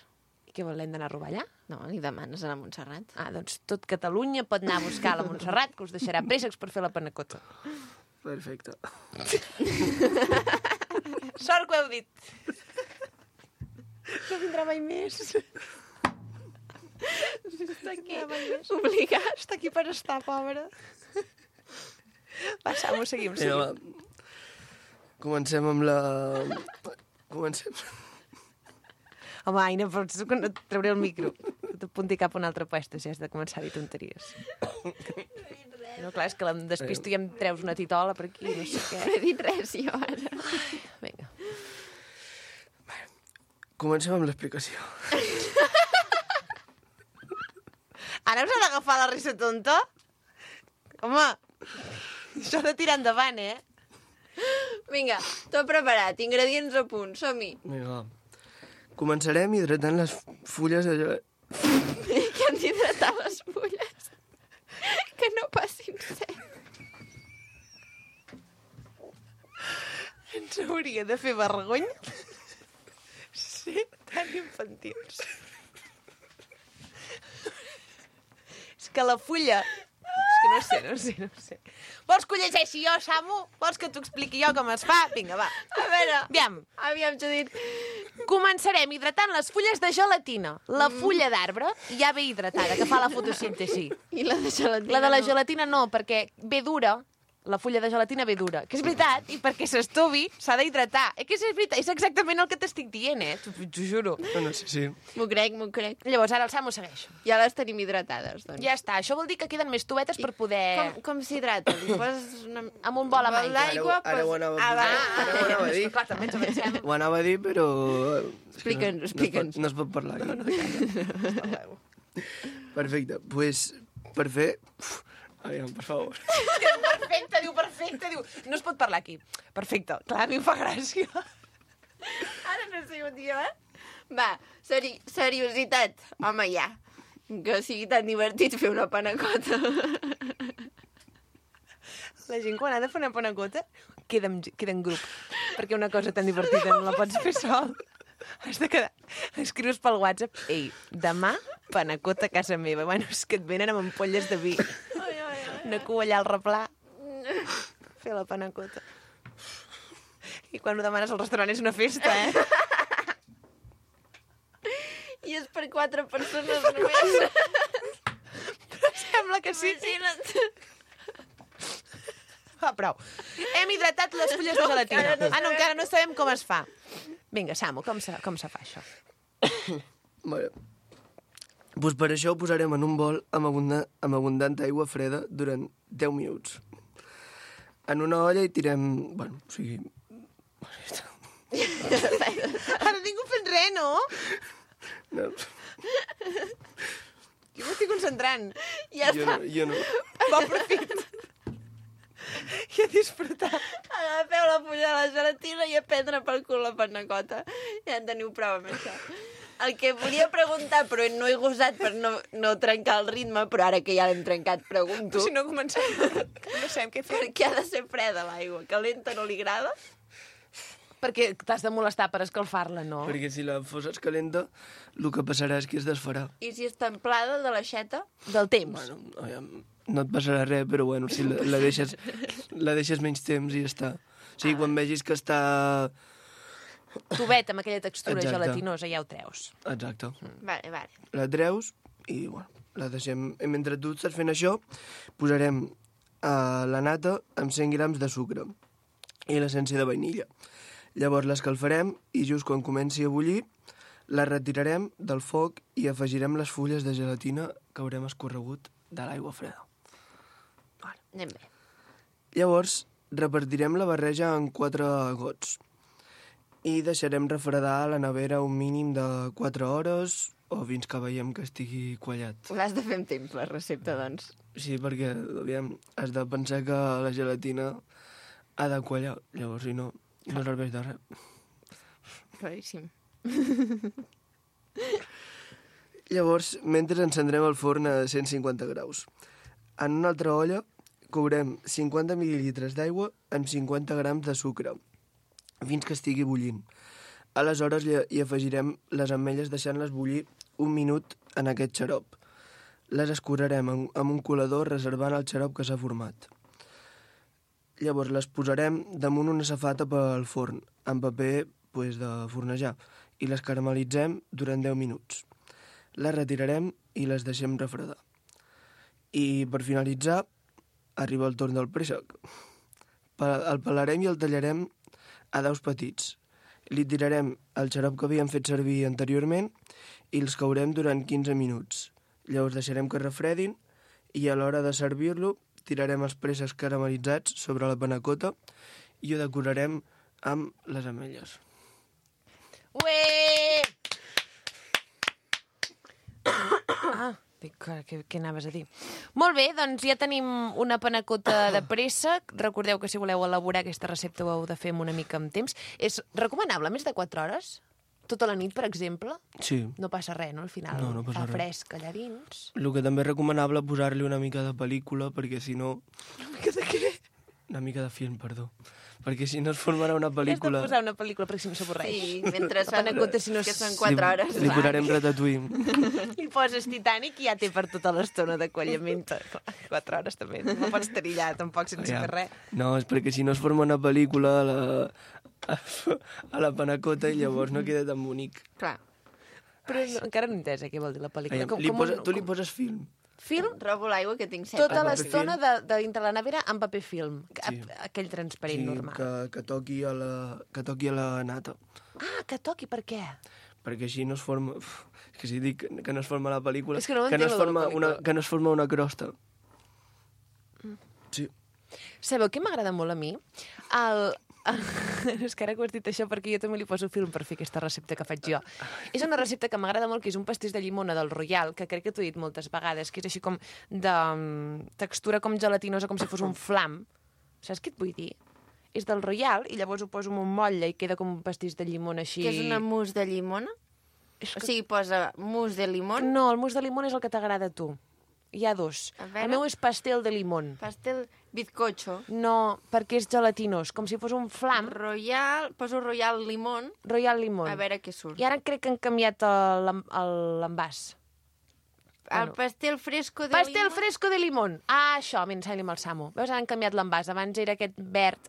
I què vol, l'hem d'anar a robar allà? No, li demanes a la Montserrat. Ah, doncs tot Catalunya pot anar a buscar la Montserrat, que us deixarà préssecs per fer la panacota. Perfecte. Sort que ho heu dit. No vindrà mai més. Està aquí, obligat. Està aquí per estar, pobra. Va, Samu, seguim, Vinga, seguim. va. Comencem amb la... Comencem... Home, Aina, pots que no et trauré el micro. T'apunti cap a un altre puesto si has de començar a dir tonteries. No, clar, és que em despisto i em treus una titola per aquí, no sé què. No he dit res, jo, ara. Vinga. Comencem amb l'explicació. Ara us ha d'agafar la risa tonta? Home, això de tirar endavant, eh? Vinga, tot preparat, ingredients a punt, som-hi. Vinga, va. Començarem hidratant les fulles de gelat... Que han d'hidratar les fulles. Que no passin set. Ens hauria de fer vergonya ser tan infantils. És que la fulla... És que no sé, no sé, no sé. Vols que ho llegeixi jo, Samu? Vols que t'ho expliqui jo com es fa? Vinga, va. A veure, Aviam. aviam, Judit. Començarem hidratant les fulles de gelatina. La fulla d'arbre ja ve hidratada, que fa la fotosíntesi. I la de gelatina La de la no. gelatina no, perquè ve dura, la fulla de gelatina ve dura. Que és veritat, i perquè s'estovi s'ha d'hidratar. Eh, que és veritat, és exactament el que t'estic dient, eh? T'ho t'ho juro. No, no, sí, sí. M'ho crec, m'ho crec. Llavors, ara el Samu segueix. Ja les tenim hidratades, doncs. Ja està, això vol dir que queden més tubetes per poder... Com, com s'hidrata? Li poses una... Amb un bol amb bol aigua. d'aigua, Ara ho- ara ho pues- anava a Ah, va. posar. Ara ho anava a dir. És que, clar, també ens avancem. Ho anava a dir, però... és que Explica'ns, no, explica'ns. No es pot, no es pot parlar. No, no, Perfecte, doncs, pues, per fer... Uf, aviam, per favor. Perfecte, diu perfecte, diu... No es pot parlar aquí. Perfecte, clar, a mi em fa gràcia. Ara no sé on dir, eh? Va, seri seriositat. Home, ja. Que sigui tan divertit fer una panacota. La gent, quan ha de fer una panacota, queda en, queda en grup. Perquè una cosa tan divertida no la pots fer sol. Has de quedar... Escrius pel WhatsApp, ei, demà panacota a casa meva. Bueno, és que et venen amb ampolles de vi. Una cua allà al replà. Fer la panacota. I quan ho demanes al restaurant és una festa, eh? I és per quatre persones només. Però sembla que sí. Imagina't. Va, prou. Hem hidratat les fulles de gelatina. encara no Ah, no, encara no sabem com es fa. Vinga, Samu, com se, com se fa això? Vale. Pues per això ho posarem en un bol amb, abunda, amb abundant aigua freda durant deu minuts. En una olla hi tirem... Bueno, o sigui... Ara ningú fent res, no? No, Jo m'estic concentrant. Ja jo està. no, jo no. Bon profit. I a disfrutar. Agafeu la fulla de la gelatina i a prendre pel cul la panacota. Ja en teniu prou amb això. El que volia preguntar, però no he gosat per no, no trencar el ritme, però ara que ja l'hem trencat, pregunto. Si no comencem, no sabem què fer. Per què ha de ser freda l'aigua? Calenta no li agrada? Perquè t'has de molestar per escalfar-la, no? Perquè si la foses calenta, el que passarà és que es desfarà. I si és templada de l'aixeta? Del temps. Bueno, aviam, no et passarà res, però bueno, si la, la, deixes, la deixes menys temps i ja està. O sigui, quan vegis que està tubet amb aquella textura Exacte. gelatinosa, ja ho treus. Exacte. Vale, vale. La treus i, bueno, la deixem... I mentre tu estàs fent això, posarem uh, la nata amb cent grams de sucre i l'essència de vainilla. Llavors l'escalfarem i just quan comenci a bullir la retirarem del foc i afegirem les fulles de gelatina que haurem escorregut de l'aigua freda. Vale. Anem bé. Llavors repartirem la barreja en quatre gots i deixarem refredar a la nevera un mínim de quatre hores o fins que veiem que estigui quallat. L'has de fer amb temps, la recepta, doncs. Sí, perquè aviam, has de pensar que la gelatina ha de quallar, llavors si no, no serveix de res. Claríssim. Llavors, mentre encendrem el forn a cent cinquanta graus. En una altra olla courem cinquanta mil·lilitres d'aigua amb cinquanta grams de sucre, fins que estigui bullint. Aleshores hi afegirem les ametlles deixant-les bullir un minut en aquest xarop. Les escurarem amb un colador reservant el xarop que s'ha format. Llavors les posarem damunt una safata pel forn, amb paper pues, de fornejar, i les caramelitzem durant deu minuts. Les retirarem i les deixem refredar. I per finalitzar, arriba el torn del préssec. El pelarem i el tallarem a daus petits. Li tirarem el xarop que havíem fet servir anteriorment i els caurem durant quinze minuts. Llavors deixarem que refredin i a l'hora de servir-lo tirarem els préssecs caramelitzats sobre la panacota i ho decorarem amb les ametlles. Ué! Ah, dic, què, què anaves a dir? Molt bé, doncs ja tenim una panacota de préssec. Recordeu que si voleu elaborar aquesta recepta ho heu de fer amb una mica amb temps. És recomanable més de quatre hores? Tota la nit, per exemple? Sí. No passa res, no? Al final No, no passa fa res. fresc allà dins. El que també és recomanable posar-li una mica de pel·lícula, perquè si no... Una mica de què? Una mica de film, perdó. Perquè si no es formarà una Has pel·lícula... de posar una pel·lícula perquè si no s'avorreix. Sí, mentre La panacota, si no que és- són quatre li, hores. Li clar. posarem Ratatouille. I poses Titanic i ja té per tota l'estona de quallament. Quatre hores també. No pots estar allà tampoc sense Ja. fer res. No, és perquè si no es forma una pel·lícula a la, a la panacota i llavors no queda tan bonic. Clar. Però no, encara no he entès eh, què vol dir la pel·lícula. Aviam, li posa, tu li poses film. Film? Robo l'aigua que tinc set. Tota paper l'estona de, de dintre la nevera amb paper film. Sí. A- Aquell transparent normal. que, que, toqui a la, que toqui a la nata. Ah, que toqui, per què? Perquè així no es forma... Uf, és que si dic que no es forma la pel·lícula... És que no que, no entenc es lo de la forma una, pel·lícula. que no es forma una crosta. Sí. Sabeu què m'agrada molt a mi? El... És que ara que ho has dit això perquè jo també li poso film per fer aquesta recepta que faig jo. És una recepta que m'agrada molt, que és un pastís de llimona del Royal, que crec que t'ho he dit moltes vegades, que és així com de mm, textura com gelatinosa, com si fos un flam. Saps què et vull dir? És del Royal i llavors ho poso en un motlle i queda com un pastís de llimona així... Que és una mousse de llimona? És O que... sigui, posa mousse de limón, No, el mousse de limona és el que t'agrada a tu. Hi ha dos. A veure. El meu és pastel de limón. pastel bizcocho, No, perquè és gelatinós, com si fos un flam. royal, poso royal limón, Royal Limón. a veure què surt. I ara crec que han canviat el- l'en- el- l'envàs. El pastel fresco de Pastel limón. fresco de limón. Ah, això, m'ensenya amb el Samu. Veus, ara han canviat l'envàs. Abans era aquest verd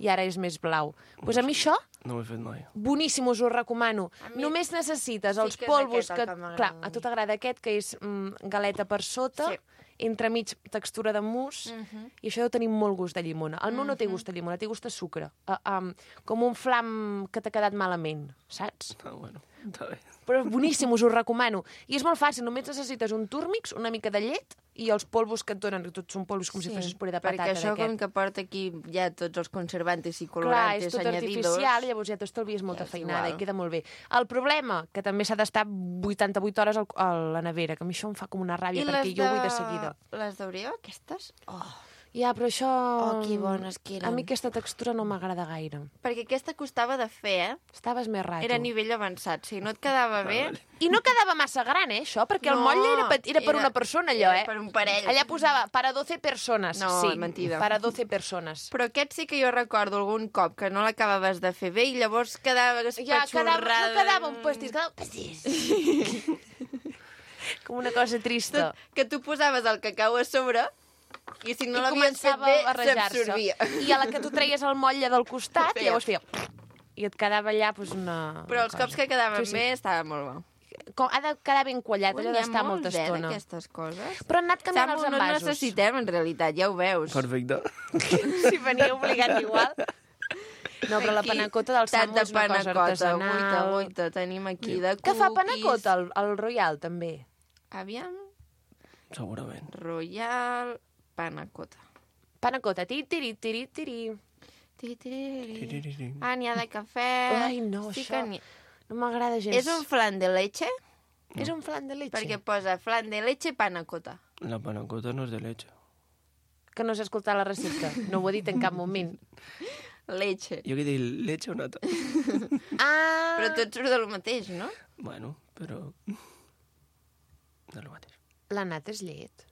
i ara és més blau. Doncs pues a mi això, No ho he fet mai. boníssim, us ho recomano. A mi Només necessites sí els que és polvos aquest que... el que m'agrada Clar, a a mi. tu t'agrada aquest, que és mm, galeta per sota, Sí. entremig textura de mousse, Mhm. i això deu tenir molt gust de llimona. El meu no té gust de llimona, té gust de sucre. Uh, um, com un flam que t'ha quedat malament, saps? Ah, bueno, està bé. Però és boníssim, us ho recomano. I és molt fàcil, només necessites un túrmix, una mica de llet i els polvos que et donen, que tots són polvos com si fessis puré de patata. perquè això com d'aquest. que porta aquí ja tots els conservantes i Clar, colorantes és tot añadidos... artificial, llavors ja t'estalvies molta Ja és feinada igual. i queda molt bé. El problema, que també s'ha d'estar vuitanta-vuit hores al, a la nevera, que a mi això em fa com una ràbia, I perquè les jo ho vull de... de seguida. Les d'Oreo, aquestes? Oh. Ja, però això... Oh, que bones que eren. A mi aquesta textura no m'agrada gaire. Perquè aquesta costava de fer, eh? Estaves més rato. Era a nivell avançat. Si no et quedava bé... vale. I no quedava massa gran, eh, això? Perquè el No, motlle era, pet- era per era- una persona, allò, era eh? per un parell. Allà posava para doce persones. No, sí, mentida. para doce persones. Però aquest sí que jo recordo algun cop que no l'acabaves de fer bé i llavors quedava Ja, quedava, espatxorrada. no quedava un pastís, quedava un pastís. Com una cosa trista. Que tu posaves el cacau a sobre i si no I l'havies fet començava bé, a barrejar-se. s'absorbia. I a la que tu treies el motlle del costat, Feia. llavors feia... i et quedava allà doncs, una Però els una cops que quedaven Sí, sí. bé estava molt bo. Com, ha de quedar ben quallat, allò Ui, n'hi ha d'estar molta molts, eh, estona. d'aquestes coses. Però han anat canviant Samu, els no envasos. necessitem, en realitat, ja ho veus. Perfecte. Si venia obligat igual. No, però la Aquí, panacota del tant Samu de és una cosa panacota, artesanal. Guaita, guaita, tenim aquí de cookies. Que fa panacota, el, el Royal, també. Aviam, Segurament. Royal Panacota. Panacota, tiri, tiri, tiri, tiri. Tiri, tiri, tiri. Tiriri. Ah, n'hi ha de cafè. Ai, no, Sí això. que n'hi- No m'agrada gens. És un flan de leche, És un flan de leche. perquè posa flan de leche panacota. La panacota no és de leche. Que no s'ha escoltat la recepta. No ho he dit en cap moment. Leche. Jo que dic leche o nata. Ah! Però tot surt del mateix, no? Bueno, però... No és el mateix. La nata és llet.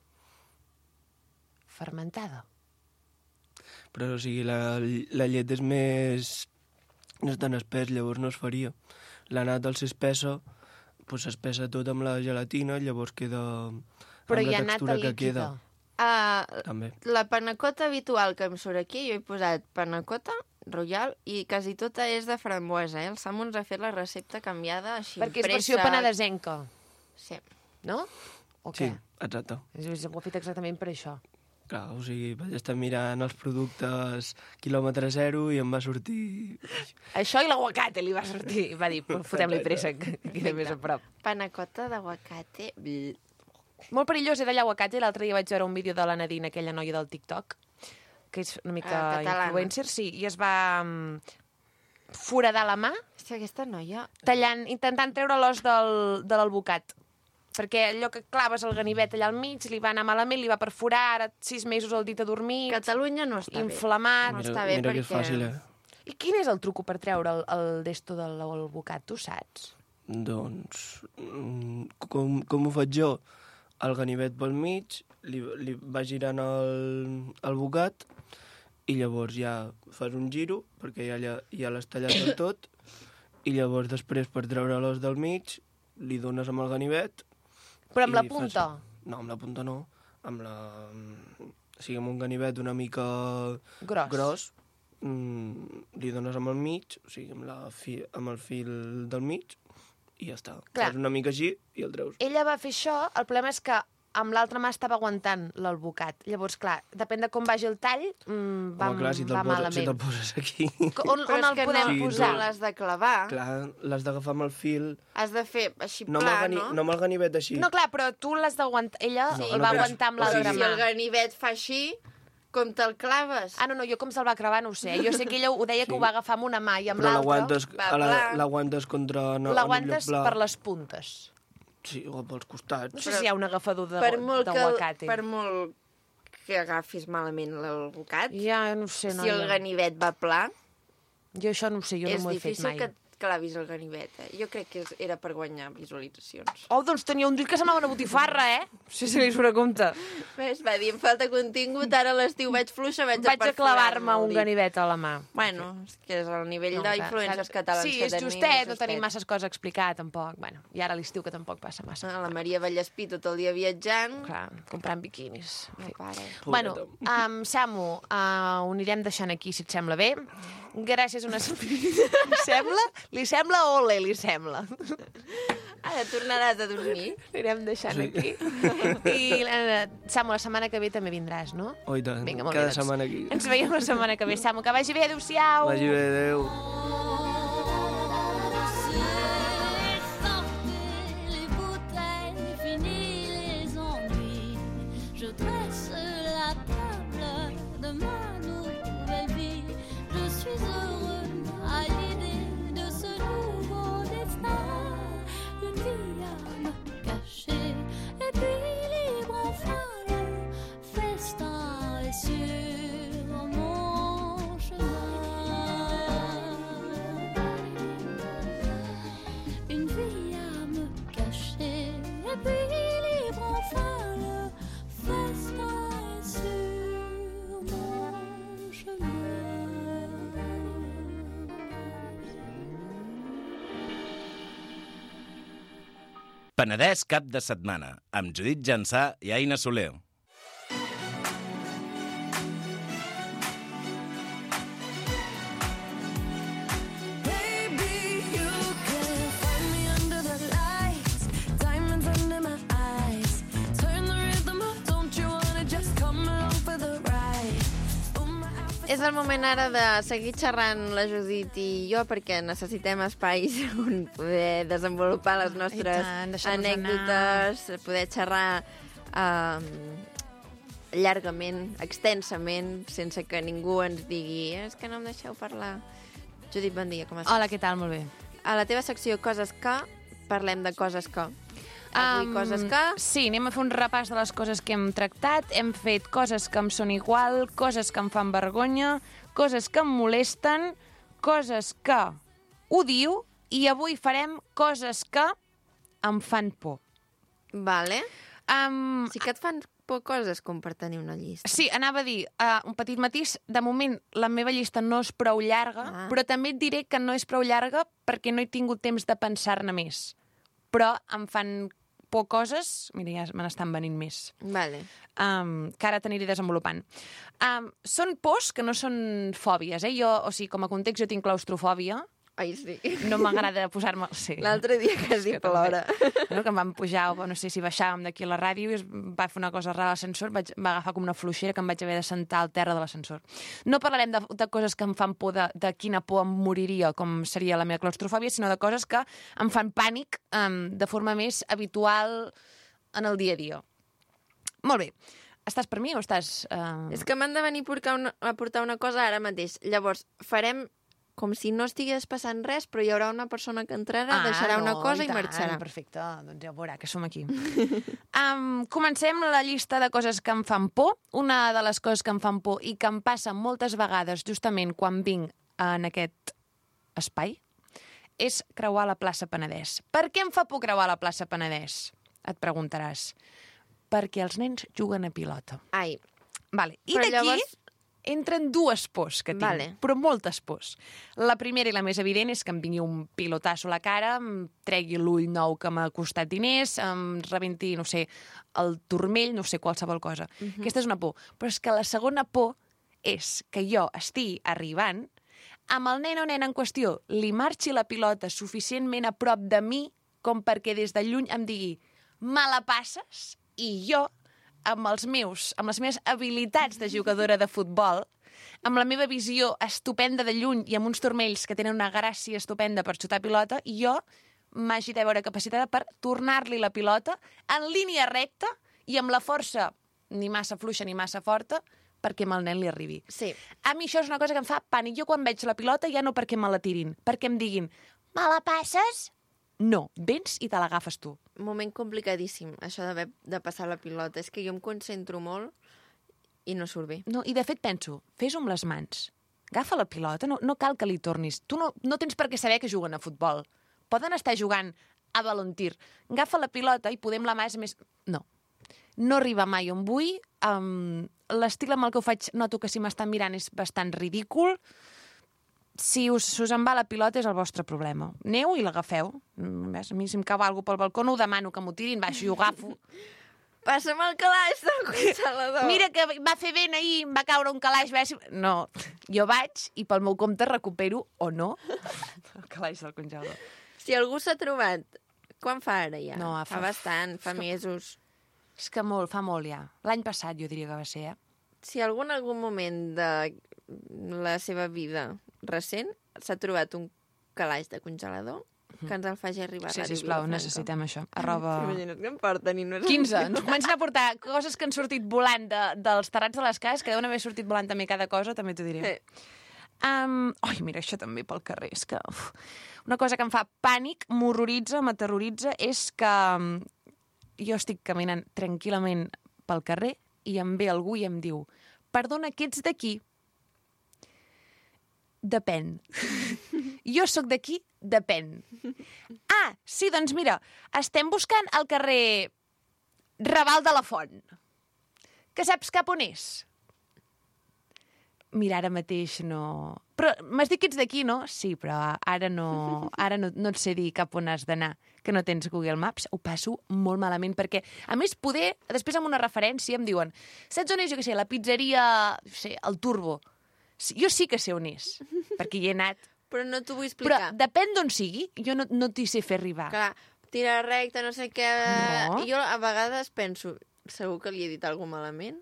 Fermentada. Però, o sigui, la, la llet és més... No és tan espès, llavors no es faria. La nata, al ser espessa, doncs s'espessa tot amb la gelatina, llavors queda... Però amb hi la ha nata textura que líquida. queda. Ah, També. la panacota habitual que em surt aquí, jo he posat panacota, royal, i quasi tota és de framboesa, eh? El Samu ens ha fet la recepta canviada així. Perquè és pressa. versió penedesenca, Sí. no? O Sí, què? exacte. És, és, ho ha fet exactament per això. Clar, o sigui, vaig estar mirant els productes quilòmetre zero i em va sortir... Això i l'aguacate li va sortir. Va dir, fotem-li pressa, que queda més a prop. Panacota d'aguacate. Bl. Molt perillós era l'aguacate. L'altre dia vaig veure un vídeo de la Nadine, aquella noia del TikTok, que és una mica Ah, catalana. influencer, sí, i es va um, foradar la mà Hòstia, aquesta noia... tallant, intentant treure l'os del, de l'alvocat. Perquè allò que claves el ganivet allà al mig li va anar malament, li va perforar, ara sis mesos al dit adormit, Catalunya no està inflamat... No Mira, està bé mira que és perquè- fàcil, eh? I quin és el truco per treure el, el desto de l'alvocat, tu saps? Doncs, mm, com, com ho faig jo? El ganivet pel mig, li, li va girant el, el bocat i llavors ja fas un giro, perquè ja, ja, ja l'has tallat del tot, i llavors després per treure l'os del mig li dones amb el ganivet. Però amb i la punta? Fas... No, amb la punta no, amb la... O sigui, amb un ganivet una mica Gros. gros mm, li dones amb el mig, o sigui, amb, la fi, amb el fil del mig, i ja està. Clar. Fas una mica així i el treus. Ella va fer això, el problema és que amb l'altra mà estava aguantant l'alvocat. Llavors, clar, depèn de com vagi el tall, mmm, va, Home, clar, si te'l va poses, si malament. te'l poses aquí... On, Però on és el que podem no, Sí, posar? no l'has de clavar. Clar, l'has d'agafar amb el fil, Has de fer així no, amb pla, el, gani... no? no amb el ganivet així. No, clar, però tu l'has d'aguantar. Ella No, sí, el va que- aguantar amb o sigui, l'altra Si mà. el ganivet fa així, com te'l claves? Ah, no, no, jo com se'l va clavar no ho sé. Jo sé que ella ho deia que Sí. ho va agafar amb una mà i amb Però l'altra l'aguantes va a la- pla. l'aguantes contra... No, l'aguantes amb el lloc pla. per les puntes. Sí, o pels costats. No sé si hi ha un agafador de- per molt que, d'aguacate. per molt que agafis malament l'alvocat, Ja, no ho sé, si noia. el ganivet va pla, Jo això no ho sé, jo és no m'ho he fet difícil mai. que et clavis el ganivet. Eh? Jo crec que és- era per guanyar visualitzacions. Oh, doncs tenia un dit que semblava una botifarra, eh? Sí, sí, li surt a compte. Ves, va dir, em falta contingut, ara a l'estiu vaig fluixa, vaig, Vaig a clavar-me un dit. ganivet a la mà. Bueno, és que és el nivell No, no, clar, d'influències clar. catalans sí, que és tenim. justet, és no tenim justet. masses coses a explicar, tampoc. Bueno, i ara a l'estiu que tampoc passa massa. Ah, La Maria Vallespí tot el dia viatjant. Clar, comprant biquinis. No para. Bueno, um, Samu, uh, ho anirem deixant aquí, si et sembla bé. Gràcies una... Li sembla? Li sembla o ole, li sembla? Ara tornaràs a dormir. Anirem deixant Sí. aquí. I, uh, Samu, la setmana que ve també vindràs, no? Oh, i tant, Vinga, molt cada bé, doncs. setmana aquí. Ens veiem la setmana que ve, Samu. Que vagi bé, adéu-siau. Vagi bé, adéu. Sortez les bouteilles, fini les ennuis. Je dresse la table de ma nouvelle vie. Je suis heureux à l'idée de ce nouveau destin. Une vie à me cacher et puis libre enfin le festin est sur mon chemin. Une vie à me cacher et puis libre enfin le festin est sur mon chemin. Penedès cap de setmana, amb Judit Jansà i Aina Soler. Hey, És el moment ara de seguir xerrant la Judit i jo perquè necessitem espais on poder desenvolupar les nostres tant, deixar-nos anècdotes, poder xerrar um, llargament, extensament, sense que ningú ens digui és que no em deixeu parlar. Judit, bon dia, com estàs? Hola, què tal? Molt bé. A la teva secció Coses que, parlem de coses que. Avui Um, coses que... Sí, anem a fer un repàs de les coses que hem tractat. Hem fet coses que em són igual, coses que em fan vergonya, coses que em molesten, coses que odio, i avui farem coses que em fan por. Vale. Um, Sí que et fan por coses com per tenir una llista. Sí, anava a dir, uh, un petit matís, de moment la meva llista no és prou llarga, Ah. però també et diré que no és prou llarga perquè no he tingut temps de pensar-ne més. Però em fan por coses, mira, ja me n'estan venint més, Vale. um, que ara t'aniré desenvolupant. Um, són pors que no són fòbies, eh? Jo, o sigui, com a context, jo tinc claustrofòbia, Ai, sí. no m'agrada posar-me... Sí. L'altre dia quasi que plora. No, que em van pujar, o no sé si baixàvem d'aquí a la ràdio i es va fer una cosa rara a l'ascensor, vaig, va agafar com una fluixera que em vaig haver de sentar al terra de l'ascensor. No parlarem de, de coses que em fan por, de, de quina por em moriria, com seria la meva claustrofòbia, sinó de coses que em fan pànic um, de forma més habitual en el dia a dia. Molt bé. Estàs per mi o estàs... Uh... És que m'han de venir a portar, una, a portar una cosa ara mateix. Llavors, farem com si no estigués passant res, però hi haurà una persona que entrarà, ah, deixarà no, una cosa i, tant, marxarà. Perfecte, doncs ja ho veurà, que som aquí. um, comencem la llista de coses que em fan por. Una de les coses que em fan por i que em passa moltes vegades justament quan vinc en aquest espai és creuar la plaça Penedès. Per què em fa por creuar la plaça Penedès? Et preguntaràs. Perquè els nens juguen a pilota. Ai, Vale. I Però d'aquí llavors- entren dues pors que tinc, Vale. però moltes pors. La primera i la més evident és que em vingui un pilotasso a la cara, em tregui l'ull nou que m'ha costat diners, em rebenti, no sé, el turmell, no sé, qualsevol cosa. Uh-huh. Aquesta és una por. Però és que la segona por és que jo estigui arribant, amb el nen o nena en qüestió li marxi la pilota suficientment a prop de mi com perquè des de lluny em digui me la passes, i jo amb els meus, amb les meves habilitats de jugadora de futbol, amb la meva visió estupenda de lluny i amb uns turmells que tenen una gràcia estupenda per xutar pilota, i jo m'hagi de veure capacitada per tornar-li la pilota en línia recta i amb la força ni massa fluixa ni massa forta perquè amb el nen li arribi. sí. A mi això és una cosa que em fa pànic. Jo quan veig la pilota ja no perquè me la tirin, perquè em diguin me la passes? No, vens i te l'agafes tu. Moment complicadíssim, això d'haver de passar la pilota. És que jo em concentro molt i no surt bé. No, i de fet penso, fes-ho amb les mans. Agafa la pilota, no, no cal que li tornis. Tu no, no tens per què saber que juguen a futbol. Poden estar jugant a balontir. Agafa la pilota i podem la mà és més... No. No arriba mai on vull. Um, L'estil amb el que ho faig noto que si m'estan mirant és bastant ridícul. Si us, si us en va la pilota és el vostre problema. Aneu i l'agafeu. Mm, ves, a mi si em cau alguna pel balcó no ho demano que m'ho tirin, baixo i ho agafo. Passa'm el calaix del congelador. Mira que va fer vent ahir, em va caure un calaix. Ves... No, jo vaig i pel meu compte recupero, o no, el calaix del congelador. Si algú s'ha trobat... Quan fa ara ja? No, fa... fa- fa bastant, fa mesos. És que molt, fa molt ja. L'any passat jo diria que va ser, eh? Si algú en algun moment de la seva vida recent s'ha trobat un calaix de congelador, que ens el faci arribar Sí, a Ràdio sisplau, Vilafranca. necessitem això. Arroba... Imagina't que em porten i no és... quinze. Ens comencen a portar coses que han sortit volant de, dels terrats de les cases, que deuen haver sortit volant també cada cosa, també t'ho diré. Sí. Um, ai, mira, això també pel carrer. És que, uf, una cosa que em fa pànic, m'horroritza, m'aterroritza, és que um, jo estic caminant tranquil·lament pel carrer i em ve algú i em diu perdona, que ets d'aquí? Depèn. Jo sóc d'aquí? Depèn. Ah, sí, doncs mira, estem buscant el carrer Raval de la Font. Que saps cap on és? Mira, ara mateix no... Però m'has dit que ets d'aquí, no? Sí, però ara no, ara no, no et sé dir cap on has d'anar, que no tens Google Maps. Ho passo molt malament, perquè, a més, poder, després amb una referència em diuen saps on és, jo què sé, la pizzeria, no sé, el Turbo. Sí, jo sí que sé on és, perquè hi he anat. Però no t'ho vull Però explicar. depèn d'on sigui, jo no, no t'hi sé fer arribar. Clar, tira recta, no sé què... No. I jo a vegades penso, segur que li he dit alguna malament?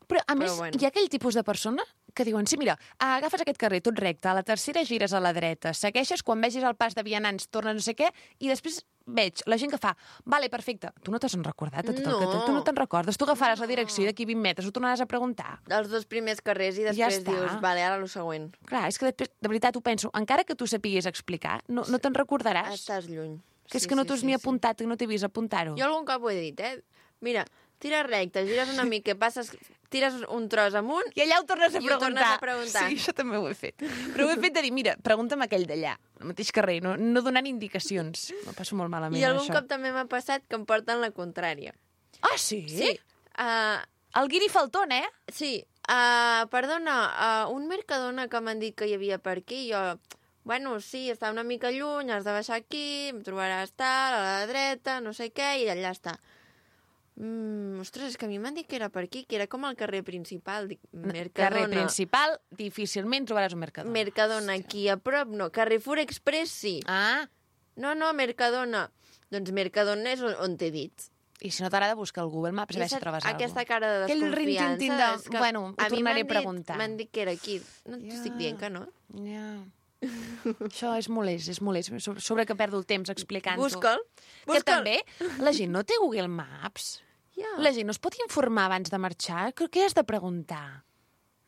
Però, a més, bueno. hi ha aquell tipus de persona que diuen, sí, mira, agafes aquest carrer tot recte, a la tercera gires a la dreta, segueixes, quan vegis el pas de vianants, tornes no sé què, i després veig la gent que fa, vale, perfecte, tu no t'has recordat de tot el que No. tu no te'n recordes, tu agafaràs la direcció i d'aquí vint metres ho tornaràs a preguntar. Els dos primers carrers i Ja després està. dius, vale, ara el següent. Clar, és que després, de veritat, ho penso, encara que tu sapiguis explicar, no, no te'n recordaràs. Estàs lluny. Que és Sí, que no sí, t'has sí, ni sí. apuntat, que no t'he vist apuntar-ho. Jo algun cop ho he dit, eh? Mira, tires recte, gires una mica, passes, tires un tros amunt I allà ho tornes a I ho preguntar. tornes a preguntar. Sí, això també ho he fet. Però ho he fet de dir, mira, pregunta'm aquell d'allà, al mateix carrer, no, no donant indicacions. M'ho passo molt malament, i algun això. cop també m'ha passat que em porten la contrària. Ah, sí? Sí. Uh, El Guiri Faltón, eh? sí. Uh, perdona, uh, un Mercadona que m'han dit que hi havia per aquí, jo... Bueno, sí, està una mica lluny, has de baixar aquí, em trobaràs tal, a la dreta, no sé què, i allà està. Mm, ostres, és que a mi m'han dit que era per aquí, que era com el carrer principal. Dic, Mercadona. Carrer principal, difícilment trobaràs un Mercadona. Mercadona, aquí a prop, no. Carrefour Express, sí. Ah, No, no, Mercadona. Doncs Mercadona és on, on t'he dit. i si no t'agrada, busca el Google Maps a veure si Aquesta- trobes Aquesta alguna cara de Aquell desconfiança... rin-tin-tin de- és que bueno, ho a mi tornaré m'han a preguntar. dit- M'han dit que era aquí. No Ja. t'estic dient que no. Ja. Això és molest, és molest. Sobre, sobre que perdo el temps explicant-ho. Busca'l. Que Busca'l. també la gent no té Google Maps. Ja. La gent no es pot informar abans de marxar. Què què has de preguntar?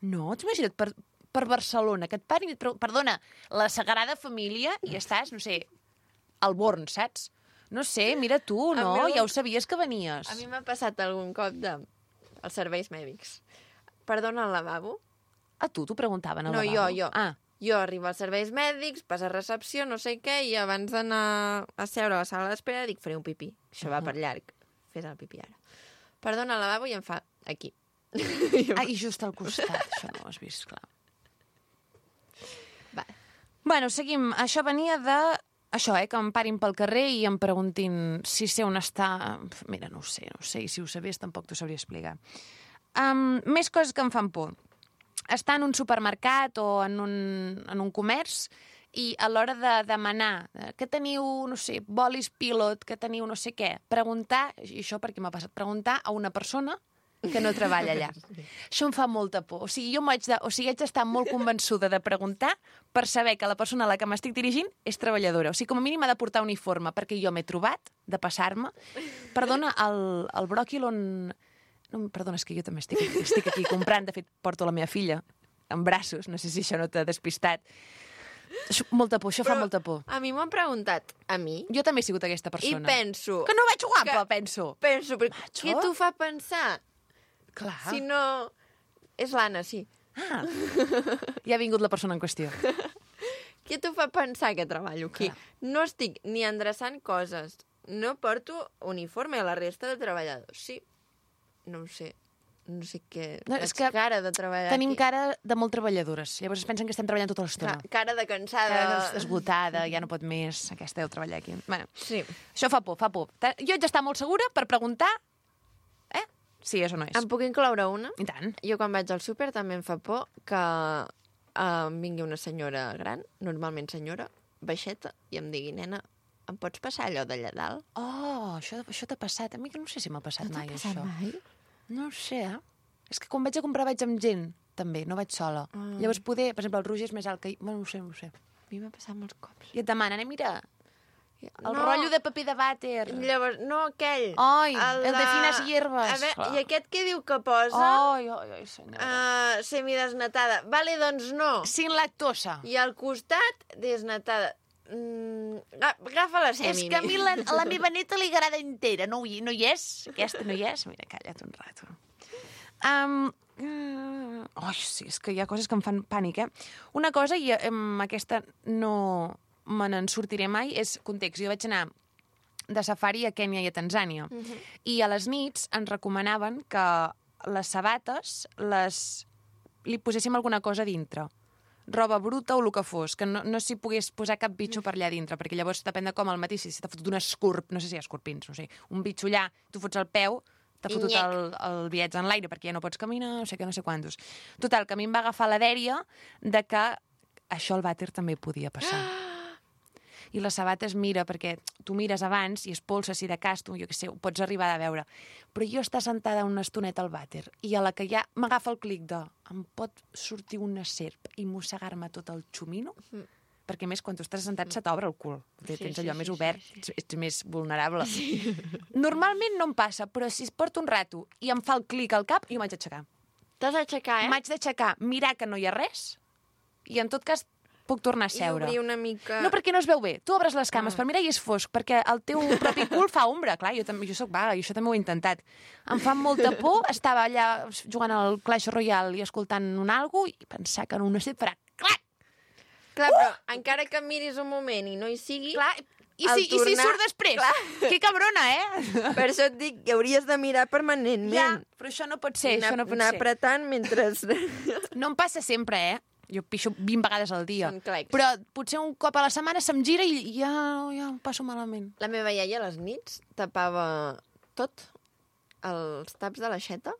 No, t'ho imagina't per, per Barcelona, que et parin i et pregunten... Perdona, la Sagrada Família i estàs, no sé, al Born, saps? No sé, mira tu, A no? mi algun- Ja ho sabies que venies. A mi m'ha passat algun cop de... els serveis mèdics. Perdona, al lavabo? A tu t'ho preguntaven al No, jo, lavabo? jo. Ah, Jo arribo als serveis mèdics, passa a recepció, no sé què, i abans d'anar a seure a la sala d'espera dic, faré un pipí. Això va per llarg. Fes el pipí ara. Perdona, al lavabo, i em fa aquí. ah i just al costat, això no ho has vist, clar. Va. Bueno, seguim. Això venia de... Això, eh, que em parin pel carrer i em preguntin si sé on està... Mira, no ho sé, no ho sé, i si ho sabies tampoc t'ho sabria explicar. Um, més coses que em fan por. Estar en un supermercat o en un, en un comerç i a l'hora de demanar eh, que teniu, no sé, bolis pilot, que teniu no sé què, preguntar, i això perquè m'ha passat, preguntar a una persona que no treballa allà. Això em fa molta por. O sigui, jo m'haig de, o sigui, haig d'estar molt convençuda de preguntar per saber que la persona a la que m'estic dirigint és treballadora. O sigui, com a mínim ha de portar uniforme, perquè jo m'he trobat de passar-me. Perdona, el, el bròquil on... No, perdona, és que jo també estic, estic aquí comprant. De fet, porto la meva filla en braços. No sé si això no t'ha despistat. Això, molta por, això fa Però molta por. A mi m'ho han preguntat, a mi, Jo també he sigut aquesta i persona. penso... Que no vaig guapa, que- penso. Penso, però Macho. què t'ho fa pensar? Clar. Si no... És l'Anna, sí. Ah, ja ha vingut la persona en qüestió. Què t'ho fa pensar que treballo aquí? Clar. No estic ni endreçant coses. No porto uniforme a la resta de treballadors. Sí. No ho sé. No sé què... No, és Faig que cara de treballar Tenim aquí. cara de molt treballadores. Llavors es pensen que estem treballant tota l'estona. Ca- Cara de cansada. Cara esgotada, ja no pot més, aquesta deu treballar aquí. Bueno, Sí. això fa por, fa por. Ta- Jo haig d'estar molt segura per preguntar eh, si és o no és. Em puc incloure una? I tant. Jo quan vaig al súper també em fa por que eh, em vingui una senyora gran, normalment senyora, baixeta, i em digui, nena, em pots passar allò d'allà dalt? Oh, això, això t'ha passat. A mi que no sé si m'ha passat mai, passat això. mai? No ho sé, eh? És que quan vaig a comprar vaig amb gent, també, no vaig sola. Ah. Llavors poder, per exemple, el Roger és més alt que... jo. Bueno, no ho sé, no ho sé. A mi m'ha passat molts cops. I et demanen, eh, mira, el No. rotllo de paper de vàter. Llavors, no aquell. Ai, el de fines hierbes. A veure, Clar. i aquest què diu que posa? Ai, ai, ai, senyora. Uh, semidesnatada. Vale, doncs no. Sin lactosa. I al costat, desnatada. Mm, aga- agafa la semi. És que a mi la, a la meva neta li agrada entera. No, hi- no hi és? Aquesta no hi és? Mira, calla't un rato. Um, uh, oh, sí, és que hi ha coses que em fan pànic, eh? Una cosa, i um, aquesta no me n'en sortiré mai, és context. Jo vaig anar de safari a Kènia i a Tanzània. Uh -huh. I a les nits ens recomanaven que les sabates les... li poséssim alguna cosa dintre. Roba bruta o el que fos, que no, no s'hi pogués posar cap bitxo per allà dintre, perquè llavors depèn de com al matí, si t'ha fotut un escorp, no sé si hi ha escorpins, no sé, un bitxo allà, tu fots el peu, t'ha fotut Nyec. el, el viatge en l'aire perquè ja no pots caminar, no sé què, no sé quantos. Total, que a mi em va agafar la dèria de que això al vàter també podia passar. i la sabata es mira, perquè tu mires abans i es polsa si de cas, tu, jo què sé, ho pots arribar a veure. Però jo estar sentada una estoneta al vàter i a la que ja m'agafa el clic de em pot sortir una serp i mossegar-me tot el xumino, mm. perquè a més, quan tu estàs sentat, se t'obre el cul. Sí, tens allò sí, més sí, obert, sí, sí. Ets, ets més vulnerable. Sí. Normalment no em passa, però si es porta un rato i em fa el clic al cap, jo m'haig d'aixecar. T'has d'aixecar, eh? M'haig d'aixecar, mirar que no hi ha res, i en tot cas puc tornar a seure. I obrir una mica... No, perquè no es veu bé. Tu obres les cames ah. per mirar i és fosc, perquè el teu propi cul fa ombra. Clar, jo, també, jo soc vaga, i això també ho he intentat. Em fa molta por, estava allà jugant al Clash Royale i escoltant un algo i pensar que en una set farà clac! Clar, uh! però encara que miris un moment i no hi sigui... Clar, i si, tornar... i si surt després? Clar. Que cabrona, eh? Per això et dic que hauries de mirar permanentment. Ja, però això no pot ser, anar, això no pot anar ser. apretant mentre... No em passa sempre, eh? Jo pixo vint vegades al dia. Són clacs. Però potser un cop a la setmana se'm gira i ja, ja em passo malament. La meva iaia a les nits tapava tot, els taps de l'aixeta,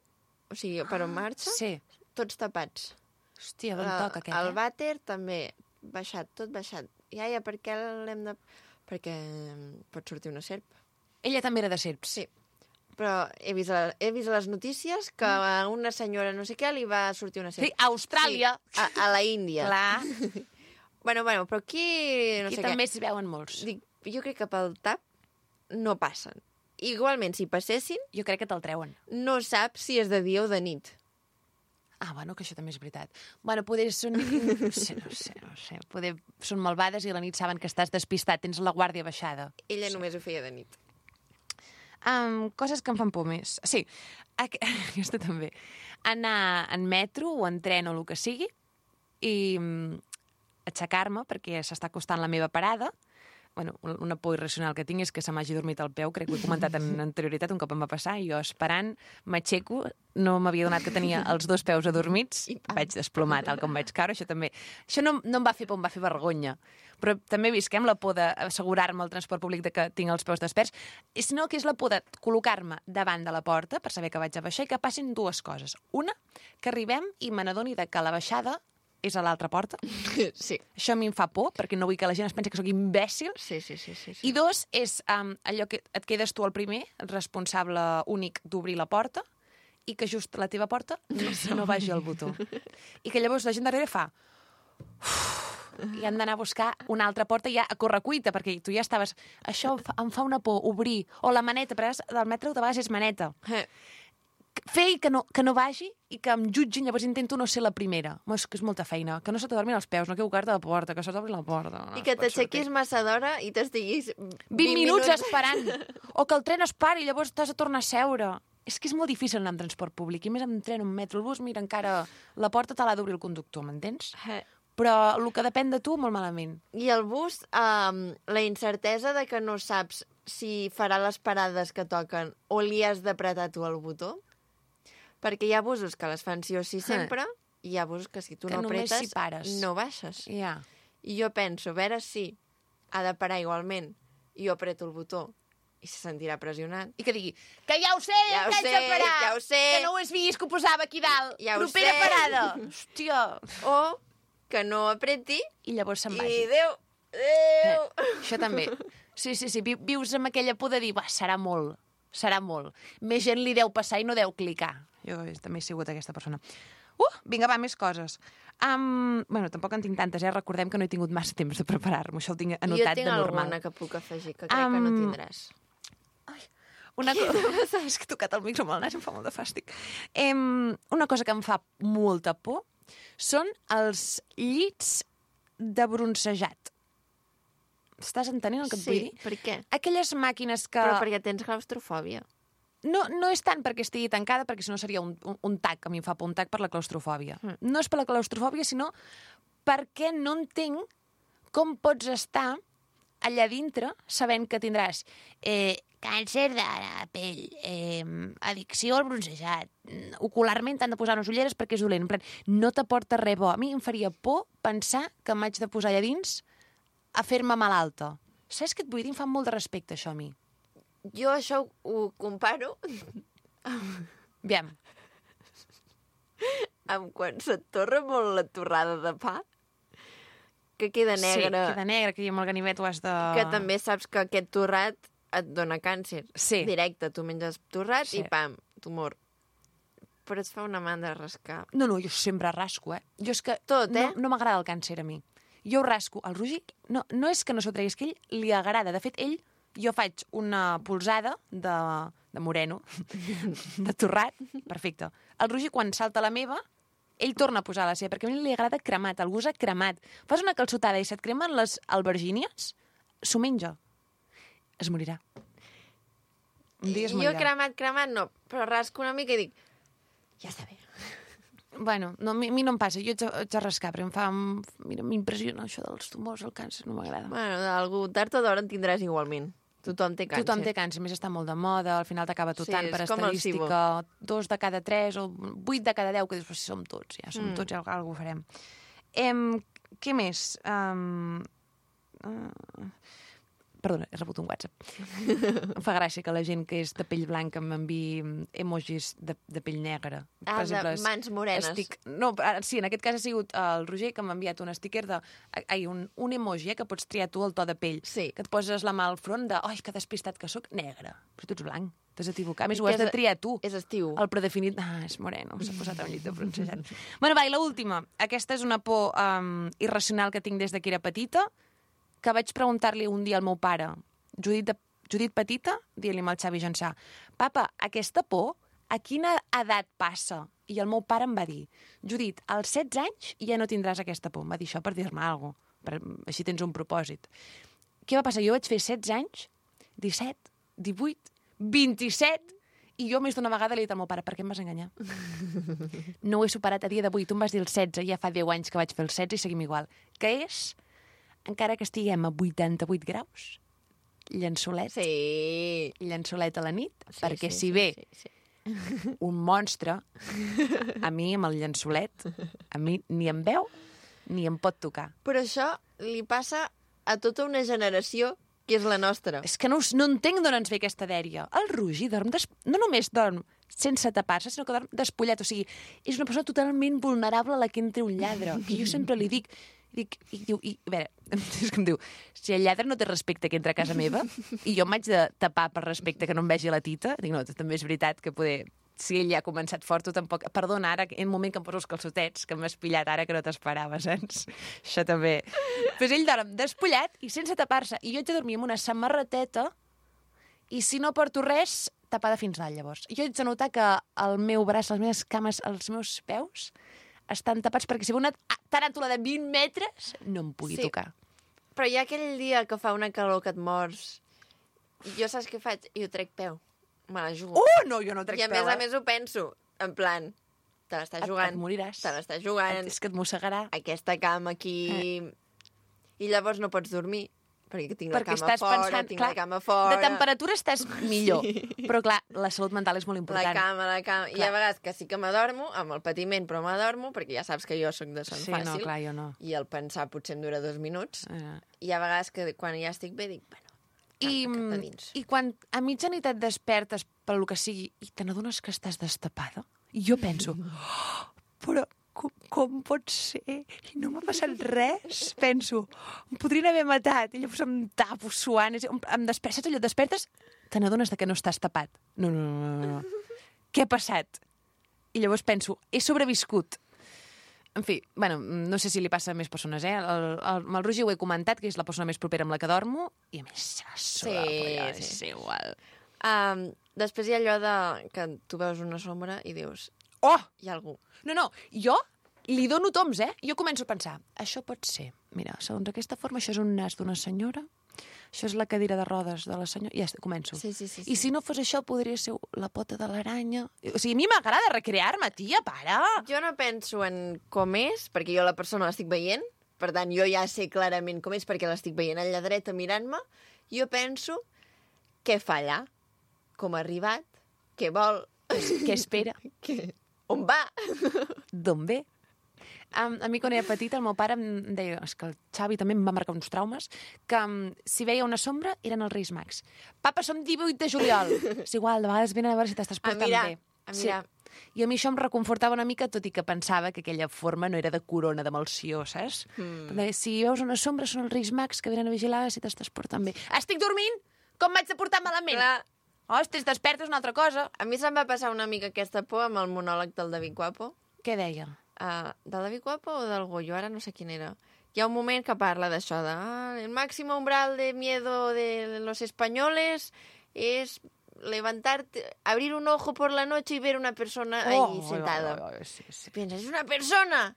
o sigui, per on marxa, sí. tots tapats. Hòstia, ben toca aquest, el eh? vàter també, baixat, tot baixat. Iaia, per què l'hem de... Perquè pot sortir una serp. Ella també era de serps? Sí. Però he vist, a, he vist a les notícies que a una senyora no sé què li va sortir una serp. Sí, a Austràlia. Sí, a, a la Índia. Clar. bueno, bueno, però aquí... No I sé també què. s'hi veuen molts. Dic, jo crec que pel tap no passen. Igualment, si passessin... Jo crec que te'l treuen. No saps si és de dia o de nit. Ah, bueno, que això també és veritat. Bueno, poder són... No sé, no sé, no sé. Poder són malvades i a la nit saben que estàs despistat, tens la guàrdia baixada. Ella sí. només ho feia de nit. Um, coses que em fan por més. Sí, aqu aquesta també. Anar en metro o en tren o el que sigui i um, aixecar-me perquè s'està acostant la meva parada. Bueno, una por irracional que tinc és que se m'hagi dormit al peu, crec que ho he comentat en anterioritat, un cop em va passar, i jo esperant, m'aixeco, no m'havia donat que tenia els dos peus adormits, vaig desplomar tal com vaig caure, això també... Això no, no em va fer por, em va fer vergonya. Però també visquem la por d'assegurar-me al transport públic de que tinc els peus desperts, sinó que és la por de col·locar-me davant de la porta per saber que vaig a baixar i que passin dues coses. Una, que arribem i me n'adoni de que la baixada és a l'altra porta. Sí. Això a mi em fa por, perquè no vull que la gent es pensi que sóc imbècil. Sí, sí, sí. sí, sí. I dos, és um, allò que et quedes tu el primer, el responsable únic d'obrir la porta, i que just a la teva porta no, no vagi el botó. I que llavors la gent darrere fa... I han d'anar a buscar una altra porta ja a correcuita, perquè tu ja estaves... Això em fa, em fa una por, obrir. O la maneta, però del metro de vegades és maneta. Eh. Fer que no, que no vagi i que em jutgin, llavors intento no ser la primera. És que és molta feina. Que no se t'adormin els peus, no equivocar-te de porta, que se t'obri la porta. No, I que t'aixequis massa d'hora i t'estiguis... vint minuts esperant. O que el tren es pari i llavors t'has de tornar a seure. És que és molt difícil anar en transport públic. I més en tren, un metro, el bus, mira, encara la porta te l'ha d'obrir el conductor, m'entens? Eh. Però el que depèn de tu, molt malament. I el bus, um, la incertesa de que no saps si farà les parades que toquen o li has d'apretar tu el botó. Perquè hi ha busos que les fan sí o sí sempre, ah. i hi ha busos que si tu que no apretes, si pares. no baixes. Yeah. I jo penso, a veure si ha de parar igualment i jo apreto el botó i se sentirà pressionat. I que digui, que ja ho sé, ja ho que sé, haig de parar, ja ho sé. que no ho has vist, que ho posava aquí dalt, ja propera sé. parada. Hòstia. O que no apreti i llavors se'n i vagi. Déu, Déu. Eh, això també. Sí, sí, sí, vius amb aquella por de dir, va, serà molt, serà molt. Més gent li deu passar i no deu clicar. Jo també he sigut aquesta persona. Uh, vinga, va, més coses. Um, bueno, tampoc en tinc tantes, eh? Recordem que no he tingut massa temps de preparar-me. Això ho tinc anotat de normal. Jo tinc alguna que puc afegir, que crec um... que no tindràs. Ai, una cosa... És que he tocat el micro amb el nas, em fa molt de fàstic. Um, una cosa que em fa molta por són els llits de bronzejat. Estàs entenent el que et sí, vull dir? Sí, per què? Aquelles màquines que... Però perquè tens claustrofòbia. No, no és tant perquè estigui tancada, perquè si no seria un, un, un tac, que a mi em fa por un tac per la claustrofòbia. Mm. No és per la claustrofòbia, sinó perquè no entenc com pots estar allà dintre sabent que tindràs eh, càncer de la pell, eh, addicció al bronzejat, ocularment t'han de posar unes ulleres perquè és dolent. En plan, no t'aporta res bo. A mi em faria por pensar que m'haig de posar allà dins a fer-me malalta. Saps què et vull dir? Em fa molt de respecte, això, a mi. Jo això ho, ho comparo Aviam. amb quan se't torra molt la torrada de pa que queda negre. Sí, queda negre, que amb el ganivet ho has de... Que també saps que aquest torrat et dona càncer. Sí. Directe, tu menges torrat Sí. i pam, tumor. Però es fa una mà de rascar. No, no, jo sempre rasco, eh? Jo és que Tot, eh? no, no m'agrada el càncer a mi. Jo ho rasco. El Roger, no, no és que no s'ho tregui, és que a ell li agrada. De fet, ell, jo faig una polsada de, de moreno, de torrat, perfecte. El Roger, quan salta la meva, ell torna a posar la seva, perquè a mi li agrada cremat, el gust cremat. Fas una calçotada i se't cremen les albergínies, s'ho menja. Es morirà. Un dia es Jo morirà. cremat, cremat no, però rasco una mica i dic, ja està bé. Bueno, no, a mi, a mi no em passa, jo haig de, haig de rascar, però em fa... Mira, m'impressiona això dels tumors, el càncer, no m'agrada. Bueno, d'algú tard o d'hora en tindràs igualment. Tothom té càncer. Tothom té càncer, a més està molt de moda, al final t'acaba totant Sí, per és com el estadística, dos de cada tres o vuit de cada deu, que dius, però si som tots, ja som Mm. tots, ja alguna cosa farem. Em, què més? Um, uh, perdona, he rebut un WhatsApp. Em fa gràcia que la gent que és de pell blanca m'enviï emojis de, de pell negra. Ah, de mans morenes. Estic... No, ah, sí, en aquest cas ha sigut el Roger que m'ha enviat un sticker de... Ai, un, un emoji, eh, que pots triar tu el to de pell. Sí. Que et poses la mà al front de... Ai, que despistat que sóc, negre. Però tu ets blanc, t'has equivocat. A més, ho Que has de és- triar tu. És estiu. El predefinit... Ah, és moreno, s'ha posat un llit de francesat. Bueno, va, i l'última. Aquesta és una por um, irracional que tinc des de que era petita, que vaig preguntar-li un dia al meu pare, Judit, de, Judit petita, dient-li amb el Xavi Jansà, papa, aquesta por, a quina edat passa? I el meu pare em va dir, Judit, als setze anys ja no tindràs aquesta por. Em va dir això per dir-me alguna cosa, així tens un propòsit. Què va passar? Jo vaig fer setze anys, disset, divuit, vint-i-set, i jo més d'una vegada li he dit al meu pare, per què em vas enganyar? No ho he superat a dia d'avui. Tu em vas dir el setze, ja fa deu anys que vaig fer el setze i seguim igual. Que és, encara que estiguem a vuitanta-vuit graus, llençolet, Sí. llençolet a la nit, Sí, perquè sí, si sí, ve sí, sí. un monstre, a mi amb el llençolet, a mi ni em veu ni em pot tocar. Però això li passa a tota una generació que és la nostra. És que no, us- no entenc d'on ens ve aquesta dèria. El Roger dorm, des... no només dorm sense tapar-se, sinó que dorm despullat. O sigui, és una persona totalment vulnerable a la que entri un lladre. Que jo sempre li dic... Dic, i, diu, i, a veure, és que em diu, si el lladre no té respecte que entra a casa meva i jo m'haig de tapar per respecte que no em vegi la tita, dic, no, també és veritat que poder... Si ell ja ha començat fort, tu tampoc... Perdona, ara, en un moment que em poso els calçotets, que m'has pillat ara que no t'esperava, saps? Això també. Pues ell dorm despullat i sense tapar-se. I jo haig de dormir amb una samarreteta i si no porto res, tapada fins dalt, llavors. Jo haig de notar que el meu braç, les meves cames, els meus peus estan tapats perquè si ve una taràntula de vint metres no em pugui Sí. tocar. Però hi ha aquell dia que fa una calor que et mors. I jo saps què faig? I ho trec peu. Me la jugo. Oh, no, jo no trec I a peu, més eh? a més ho penso. En plan, te l'estàs Et- jugant. et moriràs. Te l'estàs jugant. És que et mossegarà. Aquesta cama aquí... I llavors no pots dormir. Perquè tinc Perquè la cama estàs fora, pensant... tinc clar, la cama fora... de temperatura estàs millor. Però, clar, la salut mental és molt La important. cama, la cama... I Clar. a vegades que sí que m'adormo, amb el patiment, però m'adormo, perquè ja saps que jo sóc de son Sí, fàcil. no, clar, jo no. I el pensar potser em dura dos minuts. Eh. I a vegades que quan ja estic bé dic, bueno, I, cap a dins. I quan a mitjanit et despertes pel que sigui i te n'adones que estàs destapada, i jo penso, oh, però com, com pot ser? I no m'ha passat res. Penso, em podrien haver matat. I llavors em tapo suant. és- Em, em despertes, allò, et despertes, te n'adones de que no estàs tapat. No, no, no, no, no. Què ha passat? I llavors penso, he sobreviscut. En fi, bueno, no sé si li passa a més persones, eh? El, el, amb el Roger ho he comentat, que és la persona més propera amb la que dormo, i a més se la suda, Sí, polla, sí. és igual. Um, després hi ha allò de que tu veus una sombra i dius, Oh! hi ha algú. No, no, jo li dono toms, eh? Jo començo a pensar, això pot ser, mira, segons aquesta forma, això és un nas d'una senyora, això és la cadira de rodes de la senyora, i ja està, començo. Sí, sí, sí, I sí. si no fos això, podria ser la pota de l'aranya. O sigui, a mi m'agrada recrear-me, tia, para! Jo no penso en com és, perquè jo la persona l'estic veient, per tant, jo ja sé clarament com és, perquè l'estic veient allà dreta mirant-me, jo penso què fa allà, com ha arribat, què vol, Què espera? què... on va. D'on ve? Um, a mi, quan era petita, el meu pare em deia, és que el Xavi també em va marcar uns traumes, que um, si veia una sombra eren els Reis Mags. Papa, som divuit de juliol. És igual, de vegades venen a veure si t'estàs A portant mirar, bé. a mirar. Sí. I a mi això em reconfortava una mica, tot i que pensava que aquella forma no era de corona de malció, saps? Mm. Perquè si veus una sombra són els Reis Mags que venen a vigilar si t'estàs portant bé. Estic dormint? Com m'haig de portar malament? Clar. Oh, estàs desperta és una altra cosa. A mi se'm va passar una mica aquesta por amb el monòleg del David Guapo. Què deia? Uh, del David Guapo o del Goyo? Ara no sé quin era. Hi ha un moment que parla d'això, de ah, el máximo umbral de miedo de los españoles es levantarte, abrir un ojo por la noche y ver una persona ahí Oh, sentada. oh, oh, oh, sí, sí. Piensas, es una persona.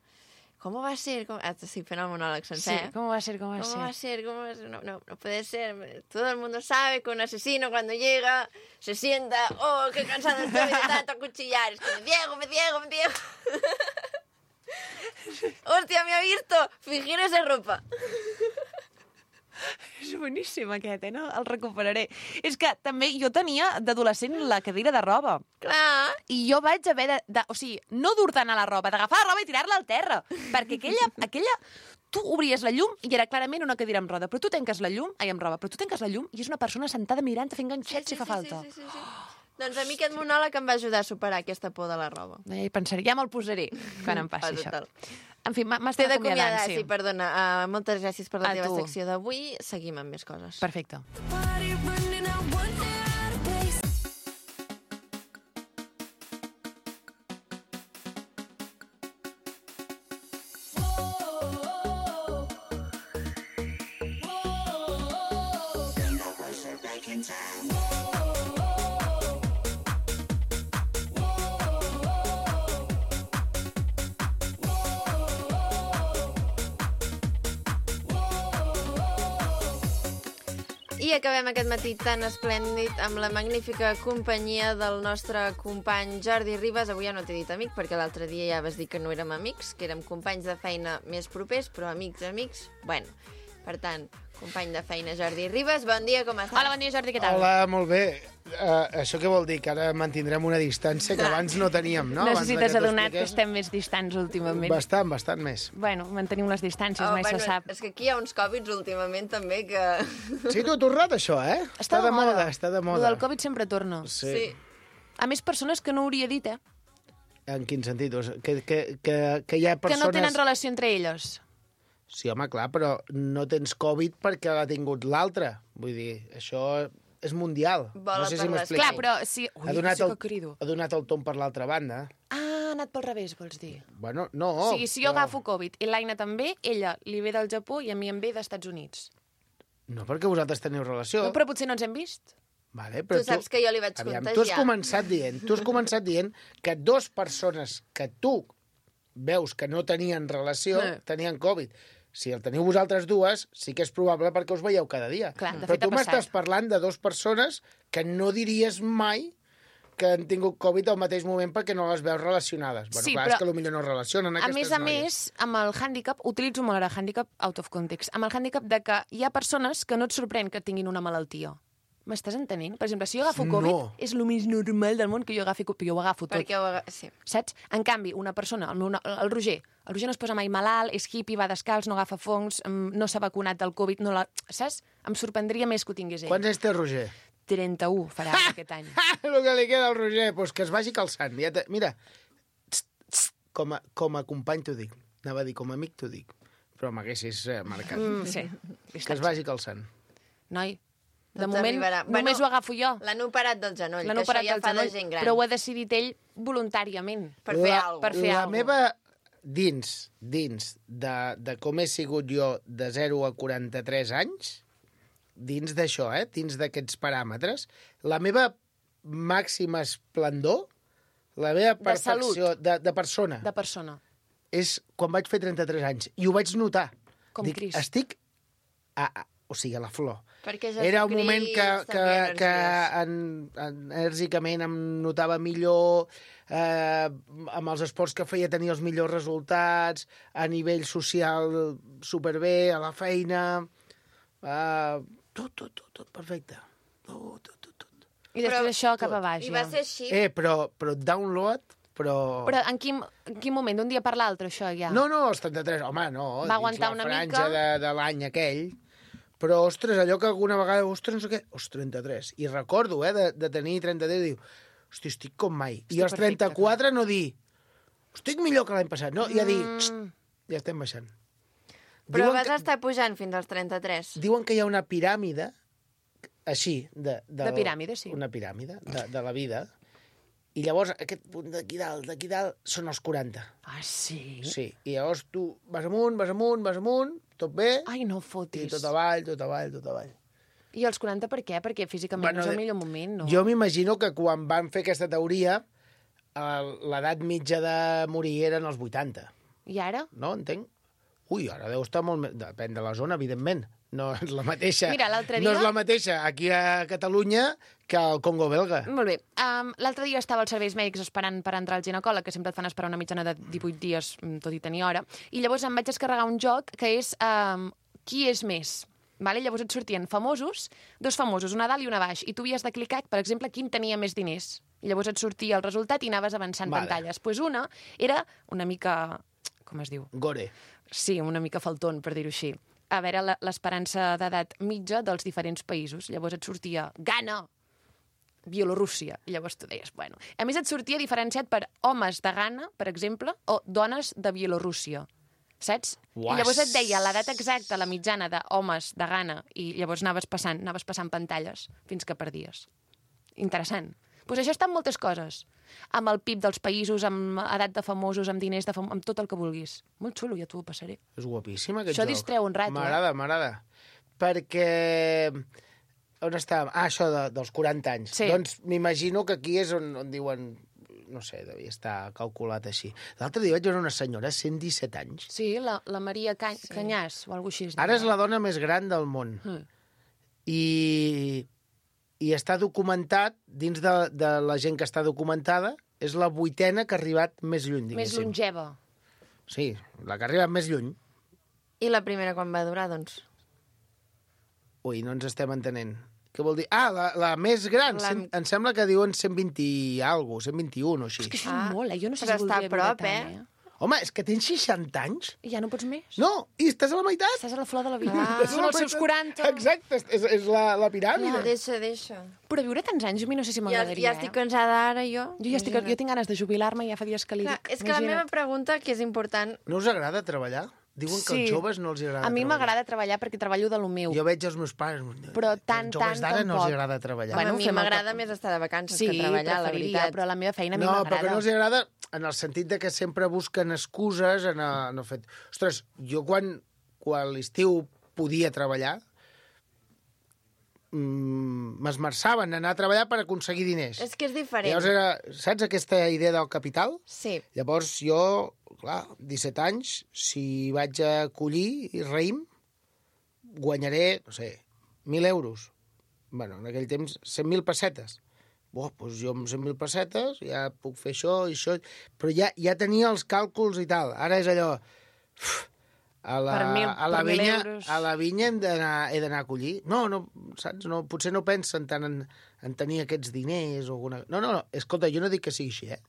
¿Cómo va a ser? ¿Cómo? Ah, sí, fent el monòleg Sí, sencer. eh? com va a ser, com va a ¿Cómo ser? va a ser? ¿Cómo va a ser? No, no, no puede ser. Todo el mundo sabe que un asesino cuando llega se sienta, oh, qué cansado estoy de tanto acuchillar. Es que me ciego, me ciego, me ciego. Hòstia, me ha visto fingir esa ropa. És boníssim aquest, eh? No? El recuperaré. És que també jo tenia d'adolescent la cadira de roba. Clar. I jo vaig haver de... de o sigui, no dur-te'n a la roba, d'agafar la roba i tirar-la al terra. Perquè aquella, aquella... Tu obries la llum i era clarament una cadira amb roda, però tu tanques la llum... Ai, amb roba, però tu tanques la llum i és una persona sentada mirant, fent ganxets si fa falta. Sí, sí, sí, sí. Doncs a mi aquest monòleg em va ajudar a superar aquesta por de la roba. Eh, pensaré, ja me'l posaré quan em passi Ah, això. total. En fi, m'ha- T'he m'està d'acomiadar, acomiadant, sí. sí, perdona. Uh, moltes gràcies per la A teva tu. secció d'avui. Seguim amb més coses. Perfecte. Party running out one out of place. I acabem aquest matí tan esplèndid amb la magnífica companyia del nostre company Jordi Ribas. Avui ja no t'he dit amic, perquè l'altre dia ja vas dir que no érem amics, que érem companys de feina més propers, però amics, amics... Bueno, per tant, company de feina Jordi Ribas, bon dia, com estàs? Hola, bon dia, Jordi, què tal? Hola, molt bé. Uh, això què vol dir? Que ara mantindrem una distància que abans no teníem, no? Abans de Necessites que t'ho adonar que expliqués. estem més distants últimament. Bastant, bastant més. Bueno, mantenim les distàncies, Oh, mai bueno, se sap. és que aquí hi ha uns Covids últimament també que... Sí, t'ho ha tornat, això, eh? Està de moda. està de Lo moda. del Covid sempre torna. Sí. Sí. A més, persones que no hauria dit, eh? En quin sentit? O sigui, Que, que, que, que hi ha Que persones... no tenen relació entre elles. Sí, home, clar, però no tens Covid perquè l'ha tingut l'altre. Vull dir, això és mundial. Vola no sé per si les m'explico. Clar, però si... Ui, ha donat, sí que el, crido. ha donat el tom per l'altra banda. Ah, ha anat pel revés, vols dir? Bueno, no. o sigui, si jo però- agafo Covid i l'Aina també, ella li ve del Japó i a mi em ve dels Estats Units. No, perquè vosaltres teniu relació. No, però potser no ens hem vist. Vale, però Tu saps que jo li vaig Aviam, contagiar. tu has començat dient, tu has començat dient que dos persones que tu veus que no tenien relació Eh. tenien Covid. Si el teniu vosaltres dues, sí que és probable perquè us veieu cada dia. Clar, de però fet ha tu m'estàs passat. parlant de dos persones que no diries mai que han tingut Covid al mateix moment perquè no les veus relacionades. Bueno, Sí, clar, però- és que potser no es relacionen A aquestes més a noies. més, amb el hàndicap, utilitzo molt ara hàndicap out of context, amb el hàndicap de que hi ha persones que no et sorprèn que tinguin una malaltia. M'estàs entenent? Per exemple, si jo agafo Covid, No. és el més normal del món que jo agafi Covid, jo ho agafo tot. Perquè ho... aga- Sí. Saps? En canvi, una persona, el, meu, no- el Roger, el Roger no es posa mai malalt, és hippie, va descalç, no agafa fongs, mm, no s'ha vacunat del Covid, no la... saps? Em sorprendria més que ho tingués ell. Quants anys té Roger? trenta-u farà aquest any. El que li queda al Roger, doncs que es vagi calçant. Ja te... Mira, tst, tst, com, a, com a company t'ho dic. Anava a dir com a amic t'ho dic. Però m'haguessis eh, marcat. Mm, sí. Que es vagi calçant. Noi, de Doncs moment arribarà. només Bueno, ho agafo jo. L'han operat del genoll, L'han que això operat ja del fa de genoll, gent gran. però ho ha decidit ell voluntàriament. Per fer la, alguna per fer la alguna. meva, dins, dins de, de com he sigut jo de zero a quaranta-tres anys, dins d'això, eh, dins d'aquests paràmetres, la meva màxima esplendor, la meva De perfecció de, de persona, De persona. és quan vaig fer trenta-tres anys. I ho vaig notar. Com Dic, Crist. Estic, a, a, o sigui, a la flor. Perquè Era un Jesucrist moment que, que, tenia que energies. en, enèrgicament em notava millor, eh, amb els esports que feia tenia els millors resultats, a nivell social superbé, a la feina... Eh, tot, tot, tot, tot perfecte. Tot, tot, tot, tot. I després Però- això cap a baix. I va ja. ser així. Eh, però, però download, però... Però en quin, en quin moment? D'un dia per l'altre, això, ja? No, no, els trenta-tres, home, no. Va aguantar dins una la franja mica. de, de l'any aquell. Però, ostres, allò que alguna vegada, ostres, no sé què, ostres, trenta-tres. I recordo, eh, de, de tenir trenta-tres, diu, hosti, estic com mai. Estic I als perfecte, trenta-quatre no dir, estic millor que l'any passat, no? Ja dir, Mm. ja estem baixant. Però Diuen vas que, estar pujant fins als trenta-tres. diuen que hi ha una piràmide, així, de... De, De piràmide, sí. Una piràmide de, de la vida. I llavors, aquest punt d'aquí dalt, d'aquí dalt, són els quaranta. Ah, sí? Sí, i llavors tu vas amunt, vas amunt, vas amunt, tot bé, Ai, no i fotis. tot avall, tot avall, tot avall. I els quaranta per què? Perquè físicament Bueno, no és el de- millor moment, no? Jo m'imagino que quan van fer aquesta teoria, el- l'edat mitja de morir eren els vuitanta, I ara? no? Entenc? Ui, ara deu estar molt més... Depèn de la zona, evidentment. No és la mateixa, Mira, l'altre no dia- és la mateixa aquí a Catalunya que al Congo belga. Molt bé. Um, L'altre dia estava als serveis mèdics esperant per entrar al ginecòleg, que sempre et fan esperar una mitjana de divuit dies, mm, tot i tenir hora, i llavors em vaig descarregar un joc que és um, qui és més. Vale? Llavors et sortien famosos, dos famosos, una a dalt i una a baix, i tu havies de clicar, per exemple, quin tenia més diners. I llavors et sortia el resultat i anaves avançant Vale. pantalles. Doncs pues una era una mica... com es diu? Gore. Sí, una mica faltón, per dir-ho així. A veure la- l'esperança d'edat mitja dels diferents països. Llavors et sortia Ghana, Bielorússia. I llavors tu deies, bueno... A més et sortia diferenciat per homes de Ghana, per exemple, o dones de Bielorússia. Saps? Uas. I llavors et deia l'edat exacta, la mitjana d'homes de Ghana, i llavors anaves passant, anaves passant pantalles fins que perdies. Interessant. Doncs pues això està en moltes coses. Amb el P I B dels països, amb edat de famosos, amb diners de famosos, amb tot el que vulguis. Molt xulo, ja t'ho passaré. És guapíssim, aquest Això joc. distreu un rato, eh? M'agrada, m'agrada. Perquè... On estàvem? Ah, això de, dels quaranta anys. Sí. Doncs m'imagino que aquí és on, on diuen... No sé, devia estar calculat així. L'altre dia vaig veure una senyora, cent disset anys. Sí, la, la Maria Ca sí. Canyàs, o alguna cosa així. es Ara diu. és la dona més gran del món. Mm. I, i està documentat, dins de, de la gent que està documentada, és la vuitena que ha arribat més lluny, Més diguéssim. longeva. Sí, la que ha arribat més lluny. I la primera quan va durar, doncs? Ui, no ens estem entenent. Què vol dir? Ah, la, la més gran. La- Cent, em sembla que diuen cent vint i alguna cosa, cent vint-i-un o així. És que això Ah, és molt, eh? Jo no sé però si està voldria a prop, viure tant, eh? eh? Home, és que tens seixanta anys? I ja no pots més? No, i estàs a la meitat. Estàs a la flor de la vida. Ah. Ah. Són els seus quaranta. Exacte, és, és, és la, la Ja, piràmide. deixa, deixa. Però viure tants anys a mi no sé si Ja, m'agradaria, ja estic eh? cansada ara, jo. Jo ja estic, jo tinc ganes de jubilar-me i ja fa dies que li Clar, dic. és que la meva Imagina't. pregunta, que és important, No us agrada treballar? Diuen que Sí. als joves no els agrada A mi treballar. m'agrada treballar perquè treballo de lo meu. Jo veig els meus pares... Però tant, Els joves tant, d'ara no els tampoc. agrada treballar. bueno, Bueno, a mi fem el m'agrada que- més estar de vacances Sí, que treballar, la preferiria, veritat. però la meva feina a mi No, però m'agrada. que no els agrada en el sentit de que sempre busquen excuses en el, en el fet... Ostres, jo quan, quan a l'estiu podia treballar, mm, m'esmerçaven a anar a treballar per aconseguir diners. És que és diferent. Llavors era, saps aquesta idea del capital? Sí. Llavors jo, clar, disset anys, si vaig a collir i raïm, guanyaré, no sé, mil euros. Bueno, en aquell temps, cent mil pessetes. Buah, doncs jo amb cent mil pessetes ja puc fer això i això... Però ja, ja tenia els càlculs i tal. Ara és allò... Uf, a la, Per mil- a la per mil vinya, euros. a la vinya hem d'anar he d'anar a collir. No, no, saps? No, potser no pensen tant en, en tenir aquests diners o alguna... No, no, no, escolta, jo no dic que sigui així, eh?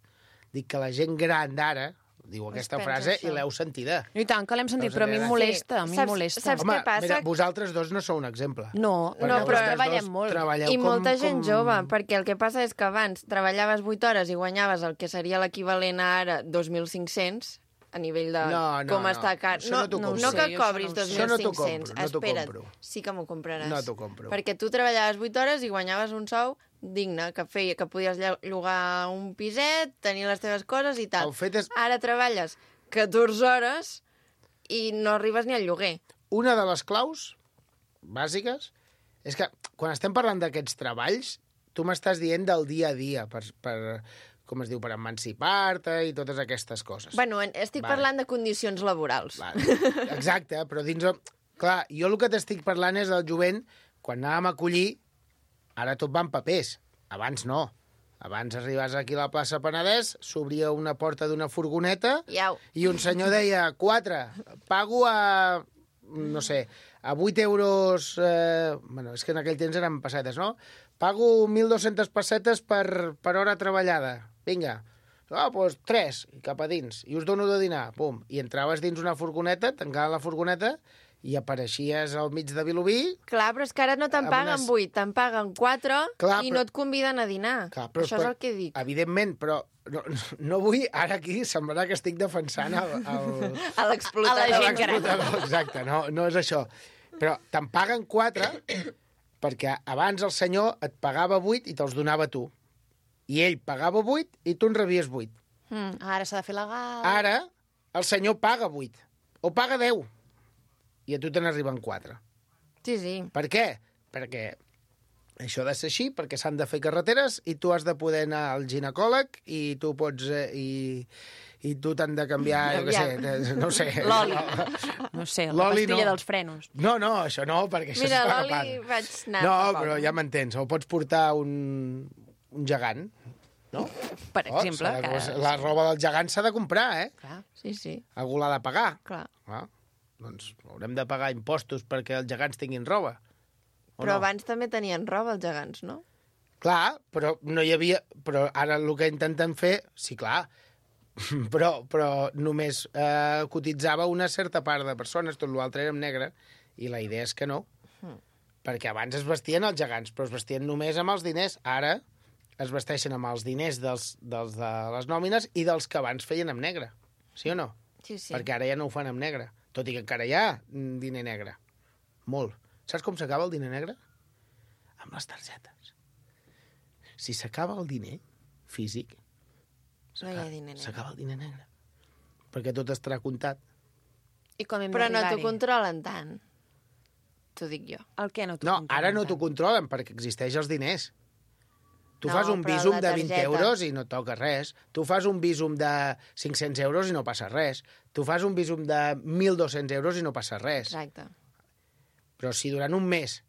Dic que la gent gran d'ara diu aquesta pensa frase això. i l'heu sentida. I tant, que l'hem sentit, Veus, però a mi em Adriana? molesta, a mi em Saps- molesta. saps- Home, què passa? mira, vosaltres dos no sou un exemple. No, Perquè no, però vosaltres treballem dos molt. Treballeu I com, molta gent com... jove, perquè el que passa és que abans treballaves vuit hores i guanyaves el que seria l'equivalent a ara dos mil cinc-cents a nivell de No, no, com no. està car. Això no t'ho no, compro. no que Sí, això cobris no ho dos sé. mil Això no t'ho cinc-cents. compro, no t'ho Espera't, compro. sí que m'ho compraràs. No t'ho compro. Perquè tu treballaves vuit hores i guanyaves un sou digne, que feia que podies lla- llogar un piset, tenir les teves coses i tal. El fet és... Ara treballes catorze hores i no arribes ni al lloguer. Una de les claus bàsiques és que quan estem parlant d'aquests treballs, tu m'estàs dient del dia a dia, per, per, com es diu, per emancipar-te i totes aquestes coses. Bueno, en- estic Vale. parlant de condicions laborals. Vale. Exacte, però dins... el- Clar, jo el que t'estic parlant és del jovent, quan anàvem a collir, ara tot va en papers. Abans no. Abans arribaves aquí a la plaça Penedès, s'obria una porta d'una furgoneta Iau. i un senyor deia, quatre, pago a, no sé, a vuit euros... Eh, bueno, és que en aquell temps eren pessetes, no? Pago mil dos-centes pessetes per, per hora treballada. Vinga. Ah, doncs tres, i cap a dins. I us dono de dinar. Pum. I entraves dins una furgoneta, tancaven la furgoneta i apareixies al mig de Vilobí. Clar, però és que ara no te'n Amb paguen unes- vuit, te'n paguen quatre Clar, i però- no et conviden a dinar. Clar, però, Això és el que dic. Evidentment, però no, no vull ara aquí semblarà que estic defensant el, el, A l'explotador. A la gent gran. l'explotador. Exacte, no, no és això. Però te'n paguen quatre perquè abans el senyor et pagava vuit i te'ls donava tu. I ell pagava vuit i tu en rebies vuit. Mm. Ara s'ha de fer legal. Ara el senyor paga vuit o paga deu i a tu te n'arriben quatre. Sí, sí. Per què? Perquè això ha de ser així, perquè s'han de fer carreteres i tu has de poder anar al ginecòleg i tu pots... Eh, i, i tu t'han de canviar, jo què sé, de- no ho sé. L'oli. No sé, la L'oli pastilla no. dels frenos. No, no, això no, perquè això Mira, es paga l'oli part. vaig anar No, fa poc. però ja m'entens, o pots portar un, un gegant, no? Per Oh, exemple, s'ha de- que... la roba del gegant s'ha de comprar, eh? Clar. Sí, sí, Algú l'ha de pagar. clar. Ah, doncs haurem de pagar impostos perquè els gegants tinguin roba. O Però no? abans també tenien roba, els gegants, no? Clar, però no hi havia... Però ara el que intenten fer... Sí, clar, però, però només eh, cotitzava una certa part de persones, tot l'altre era en negre, i la idea és que no. Hmm. Perquè abans es vestien els gegants, però es vestien només amb els diners. Ara es vesteixen amb els diners dels, dels de les nòmines i dels que abans feien amb negre. Sí o no? Sí, sí. Perquè ara ja no ho fan amb negre. Tot i que encara hi ha mm, diner negre. Molt. Saps com s'acaba el diner negre? Amb les targetes. Si s'acaba el diner físic, No hi ha diner negre. s'acaba el diner negre. Perquè tot estarà comptat. I com hem Però no t'ho d'arribar-hi? controlen tant. T'ho dic jo. El què no t'ho No, controlen ara no tant? t'ho controlen perquè existeix els diners. Tu No, fas un però visum la de vint targeta- euros i no toca res. Tu fas un visum de cinc-cents euros i no passa res. Tu fas un visum de mil dos-cents euros i no passa res. Exacte. Però si durant un mes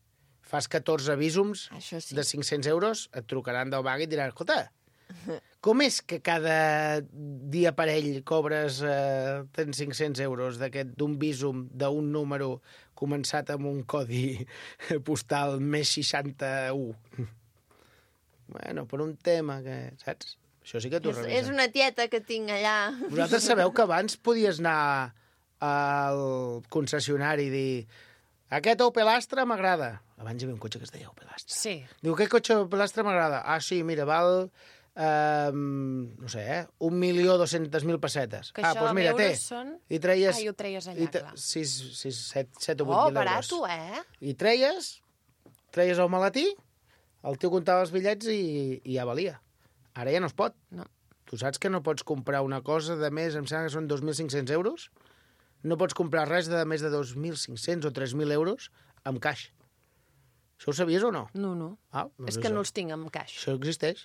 fas catorze visums Això sí. de cinc-cents euros, et trucaran del banc i et diran, escolta, com és que cada dia per ell cobres eh, tens cinc-cents euros d'aquest d'un visum d'un número començat amb un codi postal més seixanta-u? Bueno, per un tema que, saps? Això sí que t'ho És, revisen. és una tieta que tinc allà. Vosaltres sabeu que abans podies anar al concessionari i dir aquest Opel Astra m'agrada. Abans hi havia un cotxe que es deia Opel Astra. Sí. Diu, aquest cotxe Opel Astra m'agrada. Ah, sí, mira, val, eh, no sé, eh, un milió dos-centes mil pessetes. Que ah, això doncs mira, en té. euros són- I treies... Ah, i ho treies allà, i te- clar. Sis, sis, set, set o vuit Oh, mil euros. barato, eh? I treies, treies el maletí, el tio comptava els bitllets i, i ja valia. Ara ja no es pot. No. Tu saps que no pots comprar una cosa de més, em sembla que són dos mil cinc-cents euros? No pots comprar res de més de dos mil cinc-cents o tres mil euros amb caix. Això ho sabies o no? No, no. Ah, doncs És que això. no els tinc en caix. Això existeix.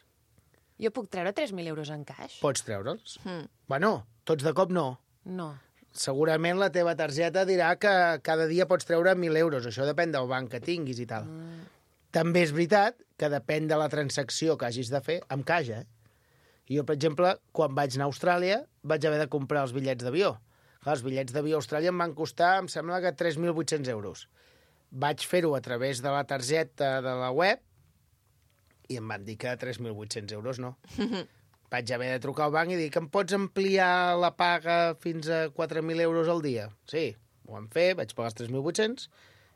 Jo puc treure tres mil euros en caix? Pots treure'ls. Mm. Bueno, tots de cop no. No. Segurament la teva targeta dirà que cada dia pots treure mil euros. Això depèn del banc que tinguis i tal. Mm. També és veritat que depèn de la transacció que hagis de fer amb caix, eh? Jo, per exemple, quan vaig anar a Austràlia, vaig haver de comprar els bitllets d'avió. Clar, els bitllets d'avió a Austràlia em van costar, em sembla que tres mil vuit-cents euros. Vaig fer-ho a través de la targeta de la web i em van dir que tres mil vuit-cents euros no. Vaig haver de trucar al banc i dir que em pots ampliar la paga fins a quatre mil euros al dia? Sí, ho vam fer, vaig pagar els tres mil vuit-cents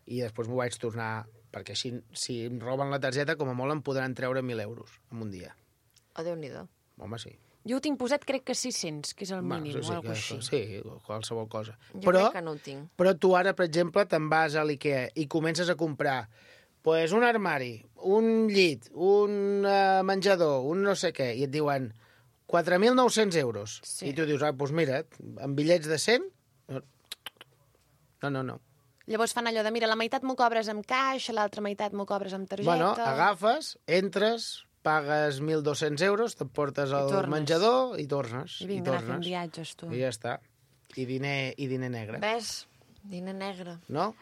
i després m'ho vaig tornar, perquè així, si em roben la targeta, com a molt em podran treure mil euros en un dia. Oh, Déu-n'hi-do. Home, sí. Jo ho tinc posat, crec que sis-cents, que és el mínim, sí, o alguna que- cosa així. sí, qualsevol cosa. Jo Però, crec que no ho tinc. però tu ara, per exemple, te'n vas a l'IKEA i comences a comprar pues, un armari, un llit, un uh, menjador, un no sé què, i et diuen quatre mil nou-cents euros. Sí. I tu dius, ah, doncs mira, amb bitllets de cent... No, no, no. Llavors fan allò de, mira, la meitat m'ho cobres amb caix, l'altra meitat m'ho cobres amb targeta... Bueno, agafes, entres, pagues mil dos-cents euros, te'n portes al tornes. menjador i tornes. I vinga, anar fent tornes. viatges, tu. I ja està. I diner, i diner negre. Ves? Diner negre. No?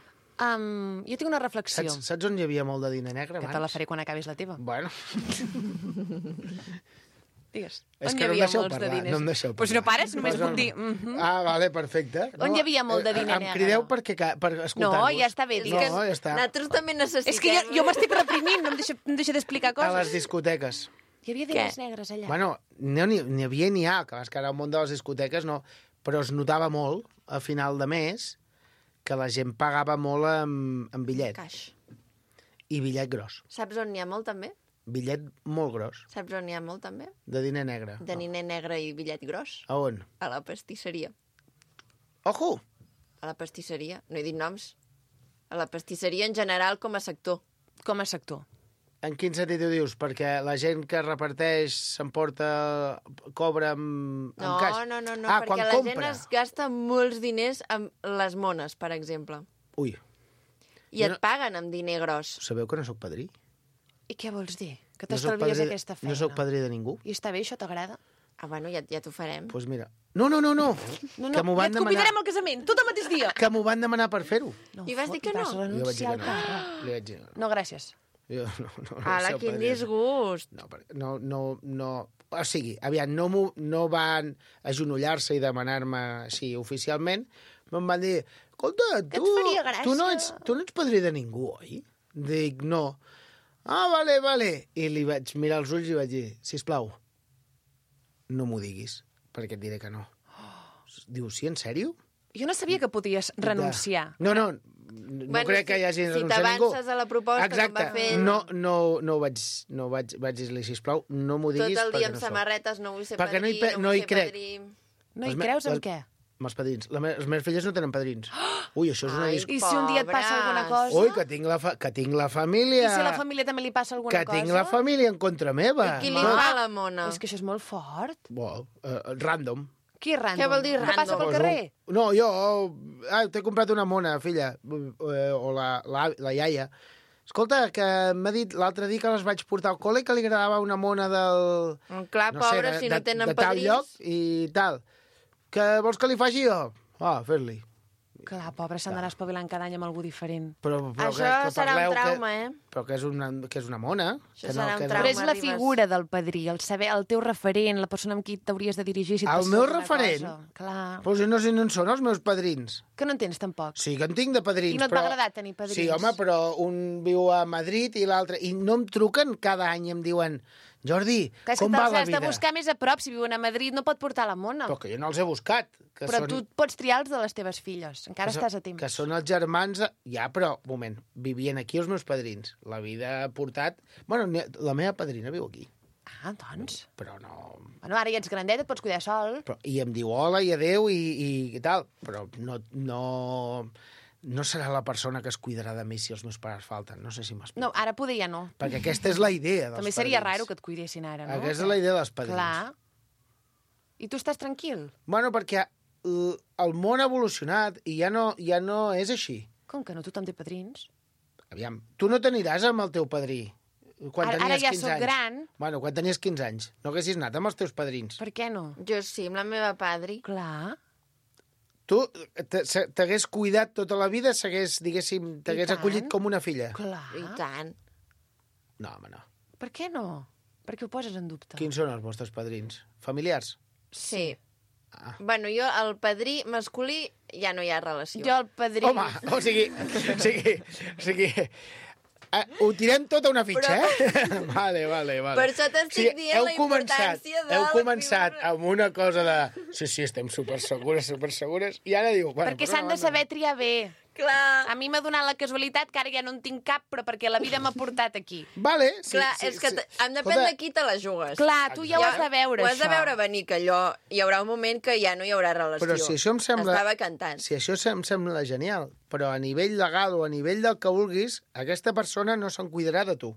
Um, jo tinc una reflexió, Saps, saps on hi havia molt de diner negre que abans? te la faré quan acabis la teva. Bueno, Digues. és On que hi no em havia deixeu molts de parlar. diners? No em deixeu Però si no parlar. pares, només Posa- puc dir... mhm. Ah, vale, perfecte. On hi havia molt de eh, diner Em negre? crideu perquè, ca- per No, escoltar-vos. ja està bé, És digues. No, ja està. Nosaltres també necessitem... És que jo, jo m'estic reprimint, no em deixa, em deixa d'explicar A coses. les discoteques. Hi havia diners negres allà. Bueno, no n'hi n'hi havia ni ha, que vas que ara al món de les discoteques no, però es notava molt a final de mes que la gent pagava molt amb, amb bitllet. Caix. I bitllet gros. Saps on n'hi ha molt, també? Bitllet molt gros, Saps on n'hi ha molt, també? de diner negre. De niner negre i bitllet gros. A on? A la pastisseria. Ojo! A la pastisseria. No he dit noms. A la pastisseria en general com a sector. Com a sector. En quin sentit ho dius? Perquè la gent que reparteix s'emporta, cobra amb, No, amb caix? no, no, no, ah, perquè quan la compra. gent es gasta molts diners amb les mones, per exemple. Ui, I Jo et no- paguen amb diner gros. sabeu que no sóc padrí? I què vols dir? Que No sóc t'estalvies padrí de- aquesta feina? No sóc padrí de ningú? I està bé, això t'agrada? Ah, bueno, ja, ja t'ho farem. Doncs pues mira... No, no, no, no! No, no, que m'ho ja van et demanar... convidarem al casament, tot el mateix dia. Que m'ho van demanar per fer-ho. No, I vas dir que fot, no? Vas Jo vaig dir renunciar que al no. càrrec. Li vaig dir... No, gràcies. Jo no, no, no Ala, sé el quin padrí. disgust. No, perquè- no, no, no... O sigui, aviam, no, m'ho- no van agenollar-se i demanar-me així oficialment, me'n van dir, escolta, Que tu, et faria gràcia. tu, no ets, tu no ets padrí de ningú, oi? Dic, no. Ah, vale, vale. I li vaig mirar els ulls i vaig dir, sisplau, no m'ho diguis, perquè et diré que no. Diu, sí, en sèrio? Jo no sabia que podies renunciar. No, no, no Bueno, crec que si- hi hagi si renunciat ningú. t'avances a la proposta com Exacte. va fer ell. No, no, no ho vaig, no ho vaig, vaig dir-li, sisplau, no m'ho Tot diguis el dia perquè amb no soc. samarretes, no vull ser Perquè no hi padrí, pe- no, no vull hi ser crec. padrí. No hi Els me- creus en les- què? Amb els padrins. La me les meves filles no tenen padrins. Ui, això és una Ai, disc... I si un dia et passa alguna Pobres. cosa? Ui, que tinc la, fa... que tinc la família... I si a la família també li passa alguna que cosa? tinc la família en contra meva. I qui li Va. fa la mona? És que això és molt fort. Bo, uh, random. Qui és random? Què vol dir Que passa random? pel Pues carrer? un- No, jo... Ah, t'he comprat una mona, filla. Eh, O la, la, la iaia. Escolta, que m'ha dit l'altre dia que les vaig portar al col·le que li agradava una mona del... Clar, pobres, si no tenen de tal padrins. lloc i tal. Que vols que li faci jo? Ah, fer-li. Clar, pobre, s'han d'anar espavilant cada any amb algú diferent. Però, però Això que, que serà un parleu trauma, que, eh? Però que és una, que és una mona. Això que serà un que trauma. Però és la Ribas. figura del padrí, el saber, el teu referent, la persona amb qui t'hauries de dirigir si et El passés meu alguna referent? cosa. Clar. Però si no sé no en són els meus padrins. Que no entens tampoc. Sí que en tinc de padrins, I no et però... va agradar tenir padrins? Sí, home, però un viu a Madrid i l'altre... I no em truquen cada any i em diuen Jordi, Que és com que va te'ls la has de vida? buscar més a prop. Si viuen a Madrid no pot portar la mona. Però que jo no els he buscat. Que Però són, tu pots triar els de les teves filles. Encara que són- estàs a temps. Que són els germans... de- Ja, però, un moment, vivien aquí els meus padrins. La vida ha portat... Bueno, n'hi ha- la meva padrina viu aquí, Ah, doncs. però no... Bueno, ara ja ets grandet, et pots cuidar sol. Però, I em diu hola i adeu i, i, i tal, però no, no, no serà la persona que es cuidarà de mi si els meus pares falten. No sé si m'explico. No, ara poder ja no. Perquè aquesta és la idea dels També seria padrins. raro que et cuidessin ara, no? Aquesta és la idea dels padrins. Clar. I tu estàs tranquil? Bueno, perquè el, el món ha evolucionat i ja no, ja no és així. Com que no? Tothom té padrins. Aviam, tu no t'aniràs amb el teu padrí quan Ara- tenies ara ja quinze sóc anys. gran. Bueno, quan tenies quinze anys. No haguessis anat amb els teus padrins. Per què no? Jo sí, amb la meva padri. Clar. Tu t- se- t'hagués cuidat tota la vida, s'hagués, diguéssim, t'hagués tant. acollit com una filla. Clar. I tant. No, home, no. Per què no? Per què ho poses en dubte? Quins són els vostres padrins? Familiars? Sí. Ah. Bueno, jo, el padrí masculí, ja no hi ha relació. Jo el padrí... Home, o sigui, o sigui, o sigui, eh, ho tirem tot a una fitxa, eh? Vale, vale, vale. Per això t'estic dient heu la començat, importància de Heu la començat figura. amb una cosa de... Sí, sí, estem supersegures, supersegures, i ara diu... Bueno, Perquè per s'han una de banda- saber triar bé. Clar, A mi m'ha donat la casualitat que ara ja no en tinc cap, però perquè la vida m'ha portat aquí. Vale, sí, clar, sí, és que sí. t- em depèn Escolta, de qui te la jugues. Clar, tu ja ho has de veure, Ho has de això. veure venir, que allò... Hi haurà un moment que ja no hi haurà relació. Però si això em sembla... Estava cantant. Si això em sembla genial, però a nivell legal o a nivell del que vulguis, aquesta persona no se'n cuidarà de tu.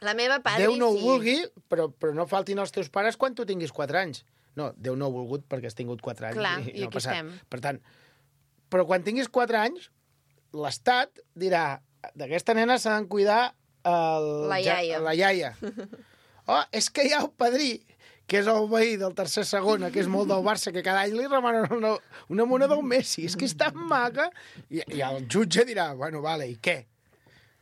La meva padri Déu no ho sí. vulgui, però, però no faltin els teus pares quan tu tinguis quatre anys. No, Déu no ho ha volgut perquè has tingut quatre anys. Clar, i, i no ha aquí passat. estem. Per tant, però quan tinguis quatre anys, l'Estat dirà d'aquesta nena s'ha de cuidar el, La ja- iaia. la iaia. Oh, és que hi ha el padrí, que és el veí del tercer segona, que és molt del Barça, que cada any li remanen una, una mona del Messi. És que és tan maca. I, I el jutge dirà, bueno, vale, i què?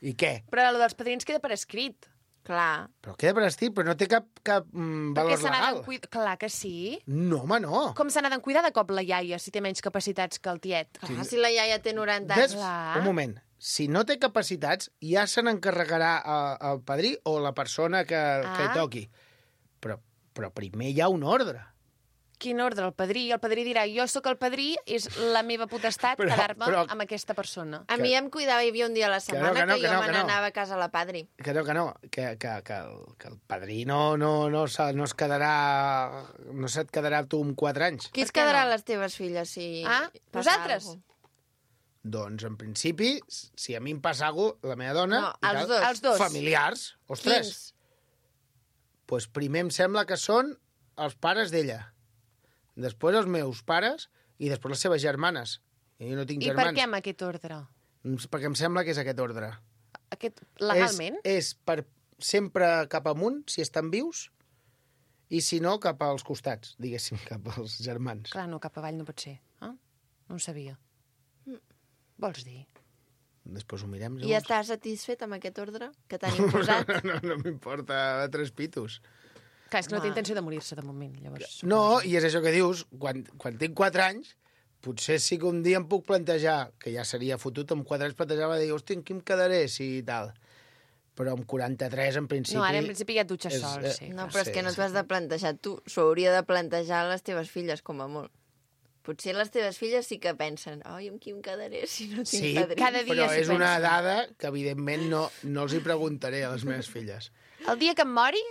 I què? Però el dels padrins queda per escrit. Clar. Però queda per estir, però no té cap, cap mm, Perquè valor se n'ha legal. de cuidar... Clar que sí. No, home, no. Com se n'ha de cuidar de cop la iaia si té menys capacitats que el tiet? Clar, si la iaia té noranta Des... anys. Clar. Un moment. Si no té capacitats, ja se n'encarregarà el, el padrí o la persona que, ah. que hi Ah. toqui. Però, però primer hi ha un ordre. Quin ordre? El padrí. El padrí dirà, jo sóc el padrí, és la meva potestat Però- quedar-me però- amb aquesta persona. A mi em cuidava, hi havia un dia a la Que no, setmana que no, que, que jo no, me que no. n'anava a casa a la padri. Que no, que no, que, que, que, el, que el padrí no, no, no, se- no es quedarà... No se't quedarà tu amb quatre anys. Qui Per es què quedarà no? a les teves filles si Ah, passa vosaltres? alguna cosa? Doncs, en principi, si a mi em passa alguna cosa, la meva dona... No, i els tal, dos. Els dos. Familiars, ostres. Quins? Pues primer em sembla que són els pares d'ella. Després els meus pares i després les seves germanes. I jo no tinc I per germans. què amb aquest ordre? Perquè em sembla que és aquest ordre. Aquest, legalment? És, és per sempre cap amunt, si estan vius, i si no, cap als costats, diguéssim, cap als germans. Clar, no, cap avall no pot ser. Eh? No ho sabia. Vols dir? Després ho mirem. I ja estàs satisfet amb aquest ordre que t'han imposat? No, no, no m'importa tres pitos. Clar, és que no té Home. intenció de morir-se de moment, llavors. No, i és això que dius, quan, quan tinc quatre anys, potser sí que un dia em puc plantejar, que ja seria fotut, amb quatre anys plantejava de dir, hòstia, en qui em quedaré, si tal. Però amb quaranta-tres, en principi... No, ara en principi ja et dutxes és, sol, eh, sí. No, clar. però és Sí, que no sí. t'ho has de plantejar tu. S'ho hauria de plantejar les teves filles, com a molt. Potser les teves filles sí que pensen oi, amb qui em quedaré si no tinc Sí, padrins? cada dia però s'hi és una pensa. dada que, evidentment, no, no els hi preguntaré a les meves filles. El dia que em mori,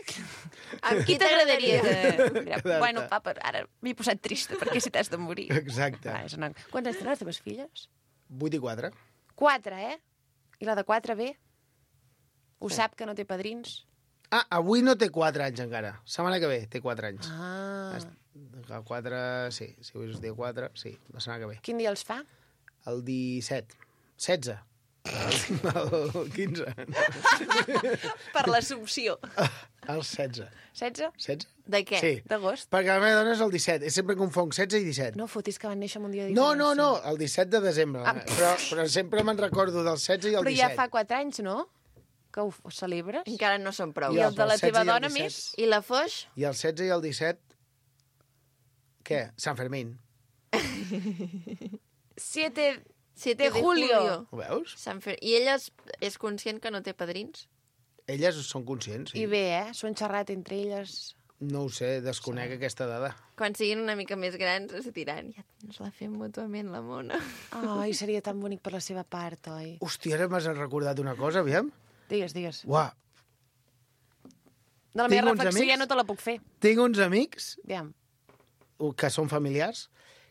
Amb qui t'agradaria? t'agradaria? Mira, bueno, papa, ara m'he posat trista, perquè si t'has de morir. Exacte. Ah, és una... Quantes tenen les teves filles? Vuit i quatre. Quatre, eh? I la de quatre bé? Ho sap que no té padrins? Ah, avui no té quatre anys encara. Setmana que ve té quatre anys. Ah. El quatre, sí. Si avui és dia quatre, sí, la setmana que ve. Quin dia els fa? El disset. setze. El quinze. Per l'assumpció. El setze. setze? setze? De què? Sí. D'agost? Perquè la meva dona és el disset. És sempre confonc setze i disset. No fotis que van néixer amb un dia de No, diferència. no, no, el disset de desembre. Ah. Però, però sempre me'n recordo del setze i el Però disset. ja fa quatre anys, no? Que ho ho celebres? Encara no són prou. I el de la el setze teva i el dona disset. més? I la Foix? I el setze i el disset... Què? Sant Fermín. Siete siete de julio. Ho veus? Sant Fer... I ella és, és conscient que no té padrins? Elles són conscients, sí. I bé, eh? S'ho han xerrat entre elles. No ho sé, desconec sí. aquesta dada. Quan siguin una mica més grans es diran ja ens la fem mútuament, la mona. Ai, seria tan bonic per la seva part, oi? Hòstia, ara m'has recordat una cosa, aviam. Digues, digues. Uah, De la Tinc meva uns reflexió amics- ja no te la puc fer. tinc uns amics Aviam. que són familiars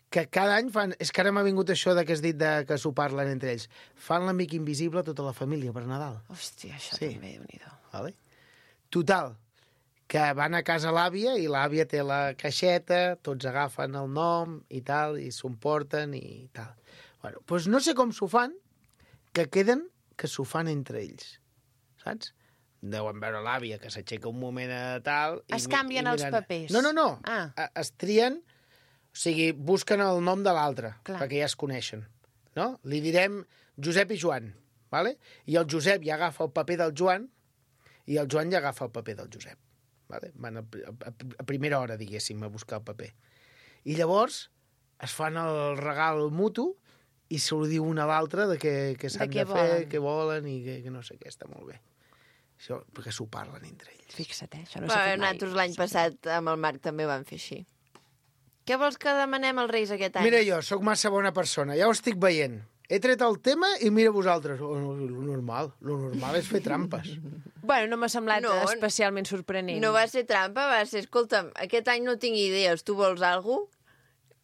que cada any fan... És que ara m'ha vingut això de que has dit de que s'ho parlen entre ells. Fan l'amic invisible a tota la família per Nadal. Hòstia, això Sí. també, déu-n'hi-do. Vale? Total, que van a casa l'àvia i l'àvia té la caixeta, tots agafen el nom i tal, i s'ho emporten i tal. Bueno, doncs no sé com s'ho fan, que queden que s'ho fan entre ells, saps? Deuen veure l'àvia que s'aixeca un moment a tal... i Es mi- canvien i els miren- papers. No, no, no. Ah. A- Es trien, o sigui, busquen el nom de l'altre, Clar. perquè ja es coneixen, no? Li direm Josep i Joan, vale? I el Josep ja agafa el paper del Joan i el Joan ja agafa el paper del Josep. Vale? Van a, a, a primera hora, diguéssim, a buscar el paper. I llavors es fan el regal mutu i se li diu una a l'altra de què, què s'han què de, fer, volen. què volen i que, que no sé què, està molt bé. Això, perquè s'ho parlen entre ells. Fixa't, eh? Això no No s'ha Però fet mai. nosaltres l'any passat amb el Marc també ho vam fer així. Què vols que demanem als Reis aquest any? Mira jo, sóc massa bona persona, ja ho estic veient. He tret el tema i mira vosaltres. Oh, no, lo normal, lo normal és fer trampes. Bueno, no m'ha semblat No, especialment sorprenent. No va ser trampa, va ser, escolta'm, aquest any no tinc idees, tu vols alguna cosa?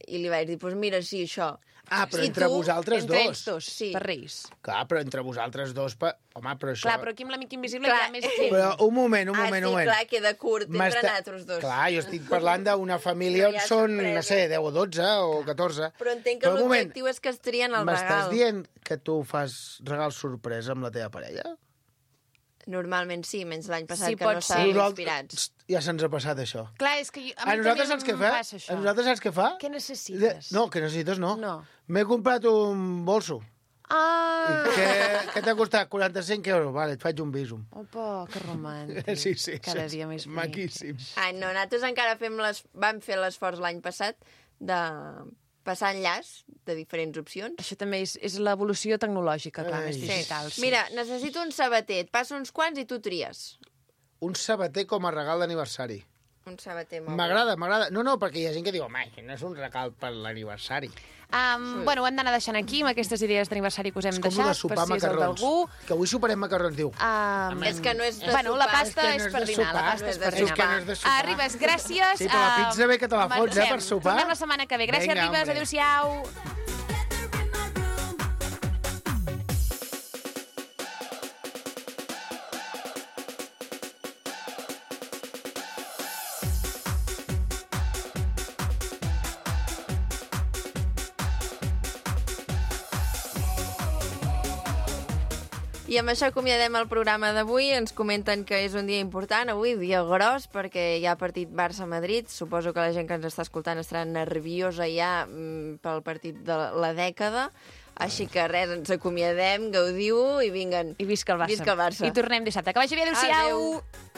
I li vaig dir, doncs pues mira, sí, això. Ah, però I entre tu, vosaltres Entre dos. ells dos, Sí. per Reis. Clar, però entre vosaltres dos... Pa... Home, però això... Clar, però aquí amb l'amic invisible Clar. hi ha més gent. Però un moment, un ah, moment, sí, un moment. clar, queda curt entre M'està- nosaltres dos. Clar, jo estic parlant d'una família No hi on ha són, sorpresa. no sé, deu o dotze o catorze. Però entenc que un moment, l'objectiu és que es trien el m'estàs regal. dient que tu fas regal sorpresa amb la teva parella? Normalment sí, menys l'any passat Sí, que pot no ser. estàvem Nosaltres- inspirats. Ja se'ns ha passat això. Clar, és que jo, a, A mi nosaltres també saps què em fa? passa això. A nosaltres saps què fa? Què necessites? No, que necessites no. No. M'he comprat un bolso. Ah! Què, què t'ha costat? quaranta-cinc euros. Vale, et faig un bísum. Opa, que romàntic. Sí, sí. Cada sí, dia més bonic. Maquíssim. Ai, no, nosaltres encara fem les... vam fer l'esforç l'any passat de passar enllaç de diferents opcions. Això també és, és l'evolució tecnològica, clar, Ai. més digital. Sí. Mira, necessito un sabater, et passo uns quants i tu tries. Un sabater com a regal d'aniversari. Un sabater molt M'agrada, m'agrada. No, no, perquè hi ha gent que diu, home, això no és un regal per l'aniversari. Um, bueno, ho hem d'anar deixant aquí, amb aquestes idees d'aniversari que us hem És com deixat, de sopar per si és el macarrons. d'algú. Que avui soparem macarrons, diu. Um, És que no és de bueno, la sopar. pasta És que és, no és per de dinar, la sopar. pasta és És per de dinar. que no és de sopar. Ah, Ribes, gràcies. Sí, però la um, pizza bé que te la fots, eh, marxem. per sopar. Tornem la setmana que ve. Gràcies, Vinga, Ribes, hombre. adéu-siau. I amb això acomiadem el programa d'avui. Ens comenten que és un dia important, avui, dia gros, perquè hi ha partit Barça-Madrid. Suposo que la gent que ens està escoltant estarà nerviosa ja mm, pel partit de la dècada. Així que res, ens acomiadem, gaudiu i vinguen. I visca el Barça. Visca el Barça. I tornem dissabte. Que vagi bé, adéu-siau. Adéu.